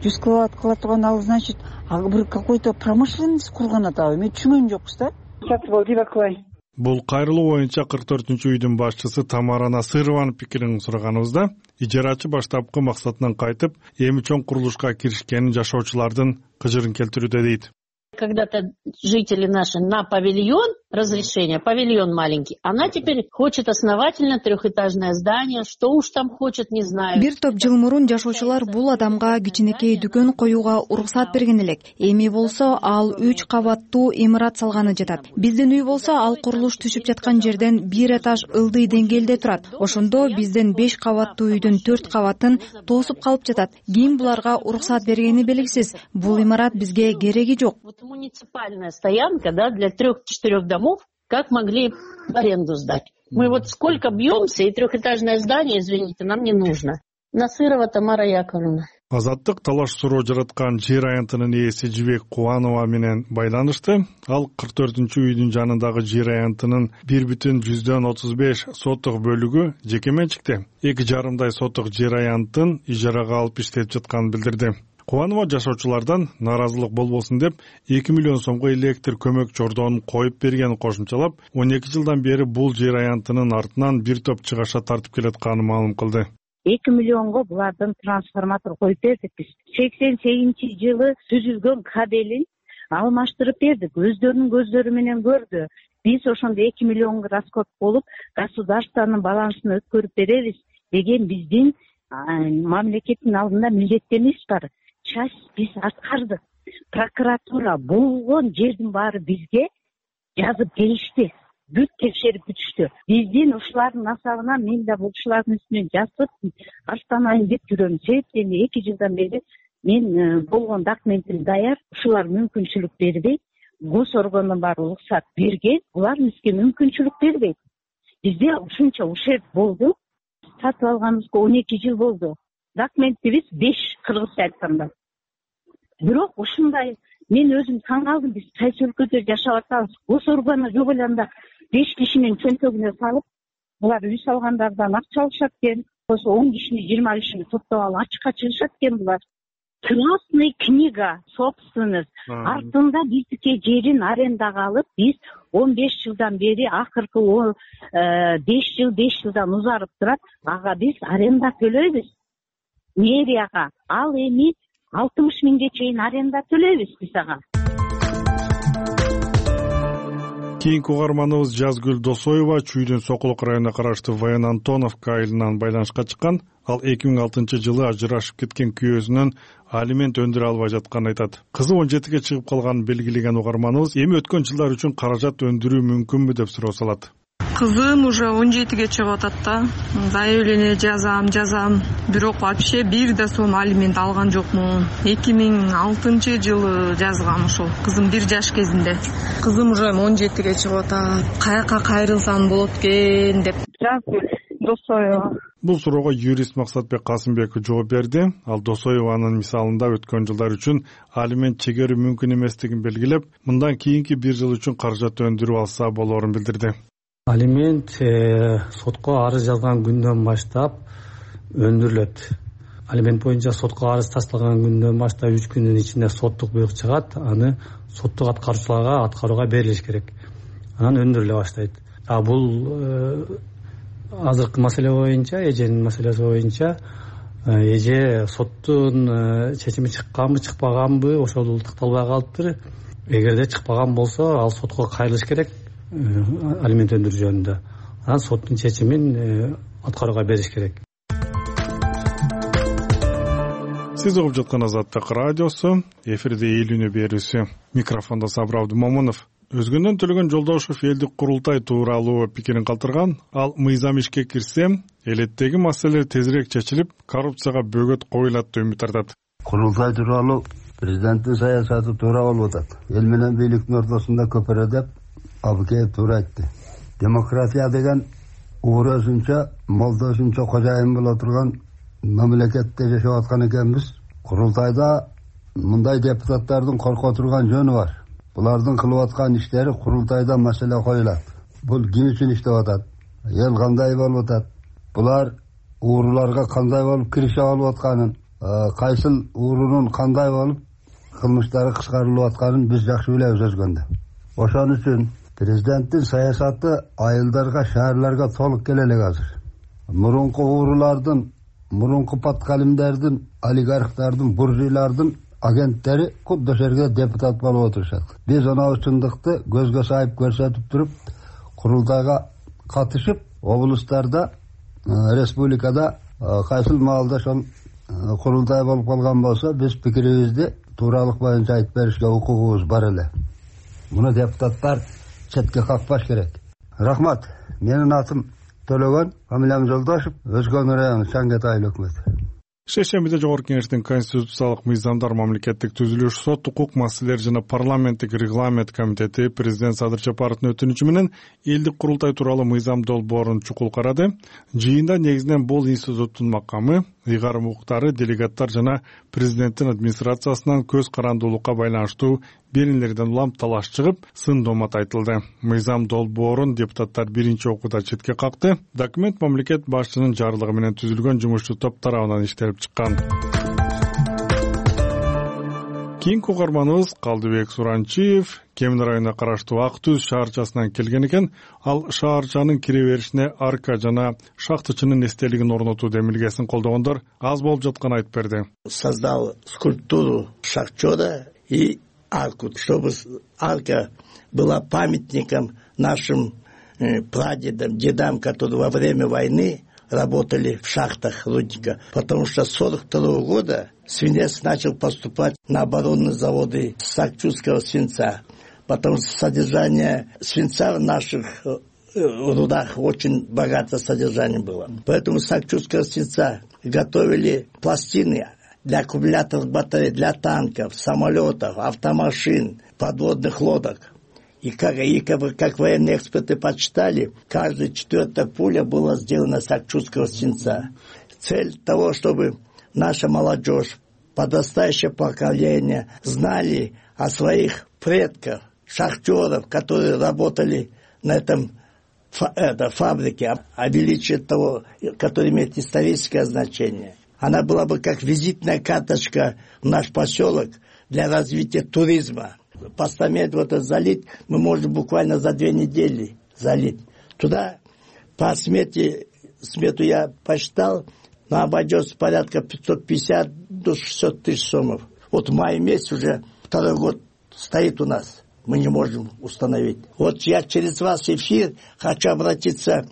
жүз киловатт кыла турган ал, значит, бир какой-то промышленность курган атабы. Мен түшүнгөнүм жокпуз да. Сатыбалдиева Акылай. Бул кайрылуу боюнча кырк төртүнчү үйдүн башчысы Тамара Насырованын пикирин сураганыбызда, ижарачы баштапкы максатынан кайтып, эми чоң курулушка киришкенин жашоочулардын кыжырын келтирүүдө дейт. Когда-то жители наши на павильон, разрешение, павильон маленький, она теперь хочет основательно трехэтажное здание, что уж там хочет, не знаю. Бир топ жыл мурун жашоочулар бул адамга кичинекей дүкөн коюуга уруксат берген элек. Эми болсо ал үч кабаттуу имарат салганы жатат. Биздин үй болсо ал курулуш түшүп жаткан жерден бир этаж ылдый деңгээлде турат. Ошондо биздин беш кабаттуу үйдүн төрт кабатын тосуп калып жатат. Ким буларга уруксат бергени белгисиз. Бул имарат бизге кереги жок. Муниципальная стоянка, да, для трех-четырех домов, как могли в аренду сдать. Мы вот сколько бьемся, и трехэтажное здание, извините, нам не нужно. Насырова Тамара Яковлевна. Азаттык талаш суроо жараткан жер аянтынын ээси Жибек Кубанова менен байланышты. Ал кырк төртүнчү үйдүн жанындагы жер аянтынын бир бүтүн жүздөн отуз беш соттук бөлүгү жеке менчикте. эки жарымдай соттук жер аянтын ижарага алып иштеп жатканын билдирди. Кубанова жашоочулардан нааразылык болбосун деп эки миллион сомго электр көмөк чордоонун коюп бергенин кошумчалап, он эки жылдан бери бул жер аянтынын артынан бир топ чыгаша тартып келатканын маалым кылды. эки миллионго булардын трансформатор коюп бердик биз. сексен сегизинчи жылы түзүлгөн кабелин алмаштырып бердик. Өздөрүнүн көздөрү менен көрдү. Биз ошондо эки миллионго расход болуп, государствонун балансына өткөрүп беребиз деген биздин мамлекеттин алдында милдеттениш бар. Часть биз аткардык. Прокуратура болгон жердин баары бизге жазып келишти. Бүт текшерип бүтүштү. Биздин ушулардын насабынан мен да бул ушулардын үстүнөн жазып аштанайын деп жүрөм. Себеби эки жылдан бери мен болгон документим даяр. Ушулар мүмкүнчүлүк бербейт. Гос органдын баары уруксат берген. Булар бизге мүмкүнчүлүк бербейт. Бизде ушунча ушерт болду. Сатып алганыбызга он эки жыл болду. Документибиз беш кыргызча айтканда. Бирок ушундай мен өзүм таң калдым, биз кайсы өлкөдө жашап атабыз. Гос органы жок эле анда беш кишинин чөнтөгүнө салып, булар үй салгандардан акча алышат экен. он кишини жыйырма кишини топтоп алып ачыкка чыгышат экен булар. Красный книга собственность. Артында биздики жерин арендага алып, биз он беш жылдан бери акыркы беш жыл беш жылдан узарып турат. Ага биз аренда төлөйбүз. Мэрияга ал эми алтымыш миңге чейин аренда төлөйбүз биз ага. Кийинки угарманыбыз Жазгүл Досоева Чүйдүн Сокулук районуна караштуу Воен Антоновка айылынан байланышка чыккан. Ал эки миң алтынчы жылы ажырашып кеткен күйөөсүнөн алимент өндүрө албай жатканын айтат. Кызы он жетиге чыгып калганын белгилеген угарманыбыз эми өткөн жылдар үчүн каражат өндүрүү мүмкүнбү деп суроо салат. Кызым уже он жетиге чыгып атат да. Заявление жазам, жазам. Бирок вообще бир да сом алимент алган жокмун. эки миң алтынчы жылы жазгам ошол. Кызым бир жаш кезинде. Кызым уже он жетиге чыгып атат. Каяка кайрылсам болот экен деп. Жазгүл Досоева. Бул суроого юрист Максатбек Касымбеков жооп берди. Ал Досоеванын мисалында өткөн жылдар үчүн алимент чегерүү мүмкүн эместигин белгилеп, мындан кийинки бир жыл үчүн каражат өндүрүп алса болоорун билдирди. Алимент сотко арыз жазган күндөн баштап өндүрүлөт. Алимент боюнча сотко арыз тасталган күндөн баштап үч күндүн ичинде соттук буйрук чыгат, аны соттук аткаруучуларга аткарууга берилиш керек. Анан өндүрүлө баштайт. А бул азыркы маселе боюнча, эженин маселеси боюнча эже соттун чечими чыкканбы, чыкпаганбы ошол такталбай калыптыр. Эгерде чыкпаган болсо, ал сотко кайрылыш керек алимент өндүрүү жөнүндө. Анан соттун чечимин аткарууга бериш керек. Сиз угуп жаткан Азаттык радиосу, эфирде эл үнү берүүсү. Микрофондо Сабыр Абдымомунов. Өзгөндөн Төлөгөн Жолдошев элдик курултай тууралуу пикирин калтырган. Ал мыйзам ишке кирсе, элеттеги маселелер тезирээк чечилип, коррупцияга бөгөт коюлат деп үмүт артат. Курултай тууралуу президенттин саясаты туура болуп атат. Эл менен бийликтин ортосунда көпөрө деп Абыкеев туура айтты. Демократия деген ууру өзүнчө, молдо өзүнчө кожайын боло турган мамлекетте жашап аткан экенбиз. Курултайда мындай депутаттардын корко турган жөнү бар. Булардын кылып аткан иштери курултайда маселе коюлат. Бул ким үчүн иштеп атат? Эл кандай болуп атат? Булар ууруларга кандай болуп киришип алып атканын, кайсыл уурунун кандай болуп кылмыштары кыскарылып атканын биз жакшы билебиз өзгөндө. Ошон үчүн президенттин саясаты айылдарга, шаарларга толук келе элек азыр. Мурунку уурулардын, мурунку паткалимдердин, олигархтардын, буржуйлардын агенттери кудду жерге депутат болуп отурушат. Биз анау чындыкты көзгө сайып көрсөтүп туруп, курултайга катышып, облустарда, республикада кайсыл маалда ошол курултай болуп калган болсо, биз пикирибизди тууралык боюнча айтып беришке укугубуз бар эле. Муну депутаттар четке какпаш керек. Рахмат. Менин атым Төлөгөн, фамилиям Жолдошев, Өзгөн району Чаңгет айыл өкмөтү. Шешембиде Жогорку Кеңештин конституциялык мыйзамдар мамлекеттик түзүлүш, сот укук маселелери жана парламенттик регламент комитети президент Садыр Жапаровдун өтүнүчү менен элдик курултай тууралуу мыйзам долбоорун чукул карады. Жыйында негизинен бул институттун макамы, ыйгарым укуктары, делегаттар жана президенттин администрациясынан көз карандуулукка байланыштуу беренелерден улам талаш чыгып, сын домат айтылды. Мыйзам долбоорун депутаттар биринчи окууда четке какты. Документ мамлекет башчынын жарлыгы менен түзүлгөн жумушчу топ тарабынан иштелип чыккан. Кийинки угарманыбыз Калдыбек Суранчиев Кемин районуна караштуу Ак Түз шаарчасынан келген экен. Ал шаарчанын кире беришине арка жана шахтычынын эстелигин орнотуу демилгесин колдогондор аз болуп жатканын айтып берди. Создал скульптуру шахтера и арку, чтобы арка была памятником нашим прадедам, дедам, которые во время войны работали в шахтах рудника. Потому что с сорок второго года свинец начал поступать на оборонные заводы Сакчурского свинца. Потому что содержание свинца в наших рудах очень богатое содержание было. Поэтому Сакчурского свинца готовили пластины для аккумуляторных батарей, для танков, самолетов, автомашин, подводных лодок. И как, и как, как военные эксперты подсчитали, каждая четвертая пуля была сделана из Сакчурского свинца. Цель того, чтобы наша молодежь, подрастающее поколение знали о своих предках, шахтеров, которые работали на этом это, фабрики, увеличить того, который имеет историческое значение. Она была бы как визитная карточка в наш поселок для развития туризма. Постамент вот это залить мы можем буквально за две недели залить. Туда по смете, смету я посчитал, но обойдется порядка пятьсот пятьдесят до шестьсот тысяч сомов. Вот в мае месяц уже второй год стоит у нас. Мы не можем установить. Вот я через вас эфир хочу обратиться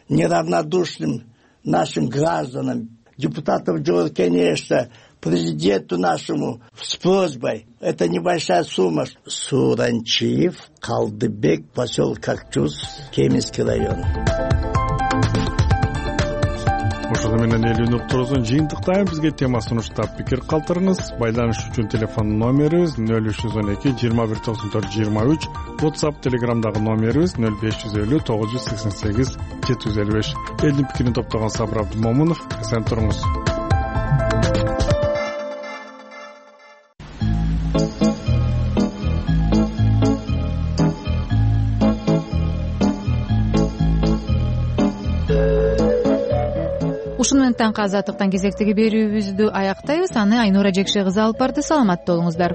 неравнодушным нашим гражданам, депутатам Джордж Кенешта, президенту нашему с просьбой. Это небольшая сумма. Суранчиев, Калдыбек, поселок Кокчуз, Кеминский район. Ошону менен эл үн уктуруусун жыйынтыктайм. Бизге тема сунуштап пикир калтырыңыз. Байланыш үчүн телефон номерибиз нөл үч жүз он эки жыйырма бир токсон төрт жыйырма үч. WhatsApp, Telegramдагы номерибиз нөл беш жүз элүү тогуз жүз сексен сегиз жети жүз элүү беш. Элдин пикирин топтогон Сабыр Абдымомунов. Эсен туруңуз. Ушуну менен таңкы азаттыктан кезектеги берүүбүздү аяктайбыз. Аны Айнура Жекше кызы алып барды. Саламатта болуңуздар.